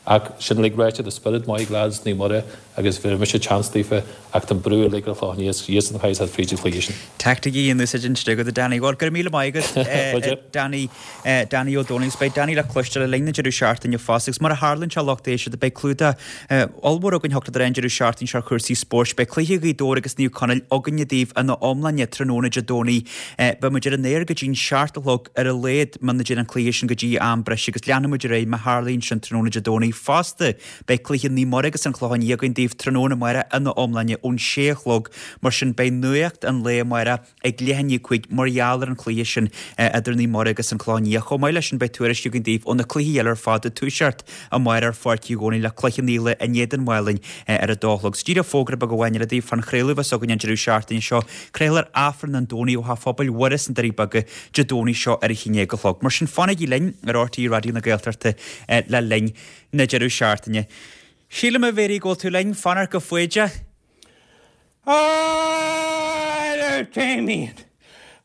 H: ach sin uilig ráite, tá spiorad maith ag leaids Naomh Muire agus bhéarfaidh mise chance daofa ach tá an brú uilig ar an Chlochán Liath, is iadsan a chaithfidh teacht fríd an chluiche sin.
A: Teaictic in úsáid ansin agat, a Danny. Bhuel, go raibh míle maith agat, Danny. Danny Ó Dónaill agus beidh Danny le cloisteáil le linn na deireadh seachtaine fosta agus mar a tharlaíonn sé a lucht éisteachta beidh clúdach ollmhór againn thiocfadh leat a rá an deireadh seachtaine seo ar chúrsaí spóirt. Beidh cluiche Ghaoth Dobhair agus Naomh Conaill againne daoibh ina iomláine tráthnóna Dé Domhnaigh. Beidh muid ar an aer go dtí'n seacht a chlog ar a laghad muna dtéann an cluiche sin go dtí am breise agus leanfaidh muid ar aghaidh má tharlaíonn sin tráthnóna Dé Domhnaigh fosta. Beidh cluiche Naomh Muire agus an Clochán Liath againn daoibh tráthnóna amárach ina iomláine ón sé a chlog mar sin beidh nuacht an lae amárach ag leath i ndiaidh 5 mar gheall ar an chluiche sin idir Naomh Muire agus an Clochán Liath. Chomh maith leis sin beidh tuairisc againn daoibh ó na cluichí eile ar fad ag toiseacht amárach ar Pháirc Uí Dhónaill le Cloich Cheann Fhaola in éadan Mhálainn ar a dó a chlog. So díreach fógra beag amháin eile daoibh fán chraoladh a bheas againn an deireadh seachtaine seo. Craolfar Aifreann an Domhnaigh ó Theach Phobail Mhuire sna Doirí Beaga Dé Domhnaigh seo ar a haon déag a chlog. Mar sin fanaigí linn ar RTÉ Raidió na Gaeltachta le linn na deireadh seachtaine. Sílim, a Mhéirí, go bhfuil tú linn, fanacht go foighdeach.
I: A Damien.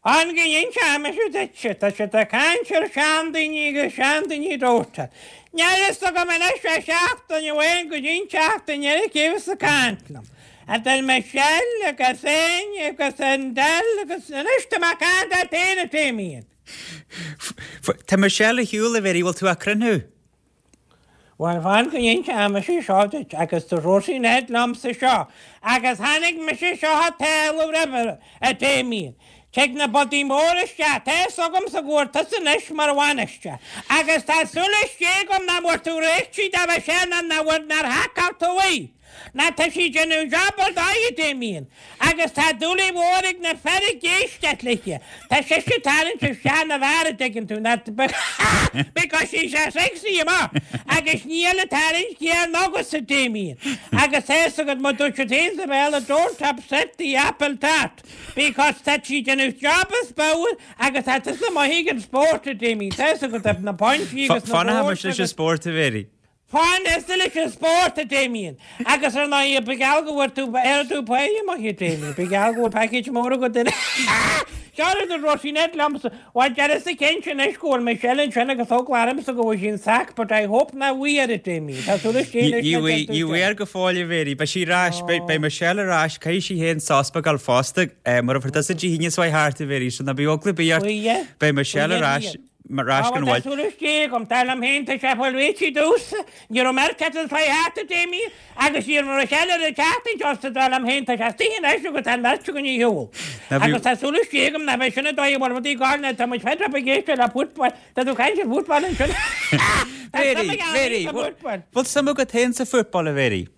I: Fan go n-inseoidh mise duitse, tá siad ag caint ar seandaoine agus seandaoine dóite. Níl a fhios agam anois ó sheachtain amháin go dtí an tseachtain eile cé bheas ag caint liom. Idir Michelle agus Áine agus an Del agus anois tá mé ag caint leat féin a Damien.
A: Tá Michelle ar shiúl, a Mhéirí, bhfuil tú á cruinniú?
I: Bhuel, fan go n-inseoidh mise seo duit, agus dúirt Róisín Ned liomsa seo, agus tháinig mise seo a talamh roimhe, a Damien. Tig na bodaí móra isteach, tá fhios agamsa go bhfuair tusa anois mar bhainisteoir, agus tá súil istigh agam nach bhfuair tú réitigh do Mhichelle ná nach bhfuair, nár haiceáil tú í. Ná tá sí ag déanamh job ar dóigh, a Damien, agus tá dúlaí mhór ag na fir ag éisteacht léithe. Tá sise ag tarraingt isteach na bhfear, a dtuigeann tú, ná because she's a sexy amach, agus níl ag tarraingt céanna agatsa, a Damien. Agus tá fhios agat, mar dúirt siad féin sa Bhéarla, don't upset the apple tart, because tá sí ag déanamh job as barr agus tá tusa maith ag an spórt, a Damien, tá fhios agat, na pointí agus na
A: Fanfaidh mise leis an spórt, a Mhéirí.
I: Fan tusa leis an spórt, a Damien. Agus ar ndóigh, ba gheall go bhfuair tú, ar tú paella maith, a Damien. Ba gheall go bhfuil package mór agat in. Seo rud a dúirt Sinéad liomsa. Bhuel, deirimse cinnte anois go bhfuil Michelle ansin agus eagla ormsa go bhfuil sí in sac, but I hope nach bhfuil air, a Damien. Tá súil istigh anois
A: Ní bhfuil, ní bhfuil air go fóill, a Mhéirí. Beidh sí ar ais, beidh, beidh Michelle ar ais, caithfidh sí féin sos beag a fháil fosta. Mura bhfuair tusa Dé hAoine seo thart, a Mhéirí, so ná bíodh eagla ar bith ort. Beidh Michelle ar ais. Mar ais
I: go bhfuil. Tá súil istigh agam, dar liom féin, tá sé fáil réitithe domhsa. Ní raibh mé ar cead an thart a Damien, agus ní raibh Michelle ar an tseachtain seo so dar liom féin, tá sé istigh anois agus tá an bheirt againn ar shiúl. Agus tá súil istigh agam nach mbeidh sin an dóigh a bhfuil rudaí ag gabháil nó tá muid fed up ag éisteacht le football. Tá tú ag caint ar football ansin.
A: Tá suim ag Mary, sa football. Bhfuil suim agat féin sa football, a Mhary?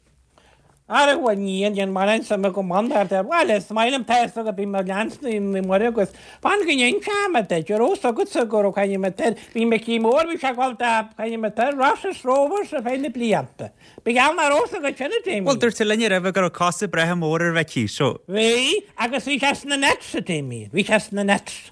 I: Ara bhuel ní dhéanann mórán suim agam ann ar de bhuel is maith liom tá fhios agat bím ag leanstan Naomh Muire agus fan go n-inseoidh mé duit an raibh fhios agatsa go raibh coinne mé tar bhí Micí Mór bhí sé ag dul do coinne mé tar Rosses Rovers ar feadh na blianta. Ba gheall nach raibh fhios agat sin a Damien.
A: Bhuel dúirt tú linn roimhe go raibh cosa breátha móra ar Mhicí so.
I: Bhí agus bhí sé sna Nets a Damien bhí sé sna Nets.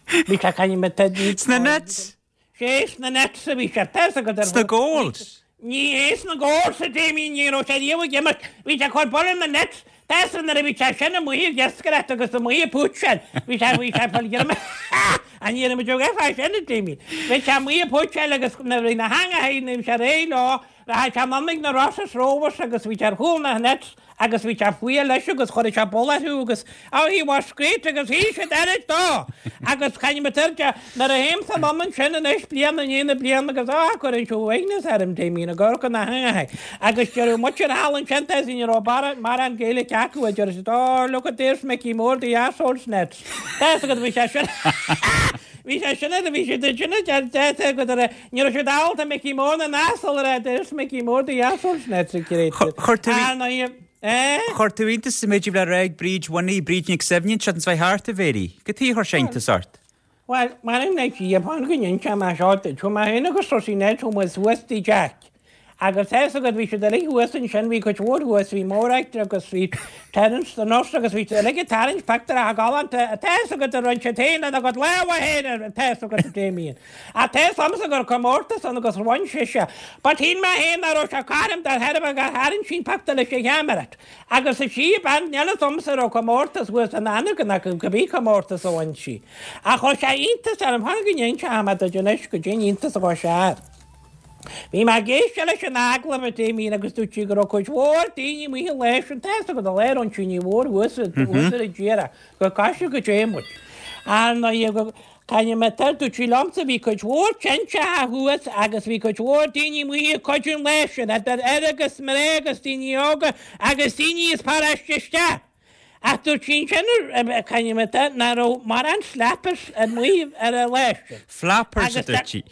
I: Bhí sé coinne mé tar
A: Sna Nets?
I: Sé sna Nets a bhí sé. Tá fhios agat ar
A: Sna Goals!
I: Ní hé sna Goals a Damien, ní raibh sé riamh ag imirt. Bhí sé ag cur buille na Nets. Tá fhios agat nuair a bhí sé sin amuigh ag iascaireacht agus amuigh ag púitseáil. Bhí sé, bhí sé ag fáil greim. An ní raibh muid ag fáil sin a Damien. Bhí sé amuigh ag púitseáil agus nuair a bhí na heangacha, nuair a bhí sé réidh leo, rachadh sé anonn ag na Rosses Rovers agus bhí sé ar chúl na Nets. Agus bhí sé fuath leis agus chuireadh sé buille orthu agus oh he was great agus shíl siad oiread dó! Agus caithfidh mé tabhairt de, nuair a théimse anonn ansin anois bliain i ndiaidh na bliana agus ah cuireann sé uaigneas orm Damien ag amharc ar na heangacha agus deireadh muintir thall ansin tá ní raibh mórán Gaeilge acu a deir siad oh look at there's Mickey Moore the arseholes nets. Tá fhios agat bhí sé sin bhí sé sin ar bhí siad ansin a deir tá fhios agat ar Ní raibh siad ábalta Mickey Mór na n-asal a rá there's Mickey Mór the arseholes nets ag great.
A: Chuir tú Ar ndóigh, eh? Chuir tú iontas sa méid a bhí le rá ag Bríd Winnie, Bríd Nic Suibhne, an tseachtain seo thart, a Mhéirí. Cad chuige a chuir sé iontas ort?
I: Bhuel, mar an Dia, fan go n-inseoidh mé seo duit. Chuaigh mé féin agus Rosie Ned, chuaigh muid suas dtí Jack. Agus tá fhios agat, bhí siad uilig thuas ansin, bhí cuid mhór thuas, bhí Morag agus bhí Terence the nurse agus bhí siad uilig ag tarraingt pictiúr galánta, tá fhios agat a rinne siad féin lena gcuid lámha féin, tá fhios agat a Damien. Ach tá fhios agamsa go raibh comórtas ann agus bhain sise. But shíl mé féin nach raibh sé cothrom de thairbhe gur tharraing sí an pictiúr leis an cheamara. Agus is í a bean, níl fhios agamsa an raibh comórtas thuas in Anagain ach cibé comórtas a bhain sí. Ach chuir sé iontas orm, fan go n-inseoidh mé duit anois goidé an iontas a chuir sé air. Bhí mé ag éisteacht leis an agallamh a Damien agus dúirt sí go raibh cuid mhór daoine amuigh an lá sin, tá fhios agat an lá a raibh an tine mhór thuas thuas ar an dtír go gcaithfidh go dté muid. Ar ndóigh go caithfidh mé tar, dúirt sí liomsa bhí cuid mhór tinte thuas agus bhí cuid mhór daoine amuigh ag cuidiú an lá sin, idir fhir agus mná agus daoine óga agus daoine as paráiste isteach. Ach dúirt sí ansin caithfidh mé tar nach raibh mórán slappers amuigh ar an lá sin.
A: Flappers a dúirt sí.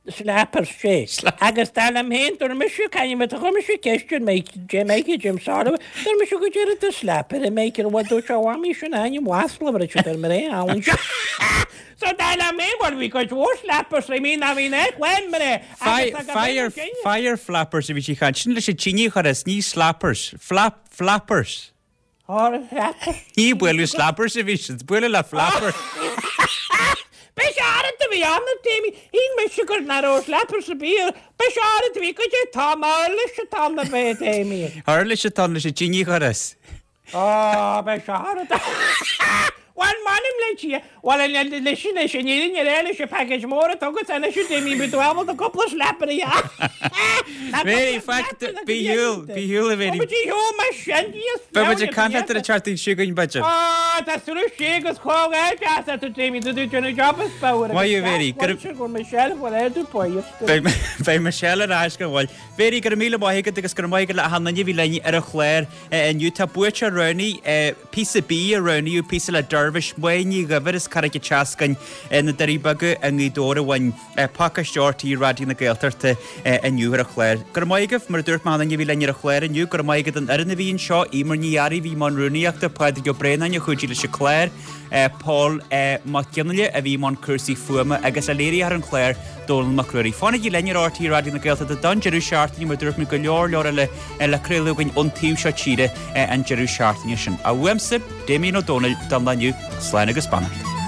I: Slappers, sé. Agus dar liom féin, dúirt mise, caithfidh mé, chuir mise ceist ar Mike, Jim Mikey, Jim Sorrow, dúirt mise goidé rud is slapper a Mikey, bhuel dúirt sé, a mhamaí, sin ainm mhasla a bhí siad ar mná thall anseo. So dar liom féin, bhuel bhí cuid mhór slappers, I mean, ná bhí nach lán mná
A: agus ag Fire, fire flappers a bhí sí ag caint, sin leis an tine a chur as, ní slappers, flap, flappers. Ní bualadh slappers a bhí siad, bualadh le flappers.
I: B'é oiread a bhí ann, a Damien. Shíl mise gur nach raibh slappers ar bith air. B'é oiread a bhí, goidé tá an uirlis atá ann a bheith, a Damien.
A: Uirlis atá ann leis an tine a chur as.
I: Á, b'é oiread. Bhuel, m'anam le Dia. Bhuel, leis an fhírinne a rá, leis an package mór atá agat anois, a Damien, beidh tú ábalta cúpla slapper a dhéanamh.
A: Mary, faic, bí shiúl, bí shiúl a Mary.
I: Ó, bí shiúl mar sin, Dia
A: Beidh muid ag caint leat ar an tseachtain seo chugainn, b'fhéidir.
I: Á, tá súil sé agus comhghairdeas leat, a Damien, tá tú ag déanamh job is fearr.
A: Maith thú, Mary.
I: Go raibh Michelle, bhfuil air tú buíoch.
A: Beidh Michelle ar ais gan mhoill. Mary, go raibh míle maith agat agus go raibh maith agat le achan duine a bhí linn ar an chlár inniu. Tá buaiteoir roghnaithe, píosa B a roghnaíodh, píosa le Dervish, Máire Ní Dhuibhir as Carraig an tSeascainn, na Doirí Beaga i nGaoth Dobhair a bhain pacáiste RTÉ Raidió na Gaeltachta inniu ar an chlár. Go raibh maith agaibh, mar a dúirt mé achan duine a bhí linn ar an chlár inniu, go raibh maith agat don fhoireann a bhí anseo, Emer Ní Fhearraigh a bhí i mbun rúnaíochta, Pádraig Ó Braonáin a chuidigh leis an chlár, Paul Mac Fhionnghaile a bhí i mbun cúrsaí fuaime agus le léiritheoir an chláir, Dónall Mac Ruairí. Fanaigí linn ar RTÉ Raidió na Gaeltachta don deireadh seachtaine mar dúirt mé go leor leor eile le craoladh againn ón taobh seo tíre an deireadh seachtaine sin. Uaimse, Damien Ó Dónaill, don lá inniu, slán agus beannacht.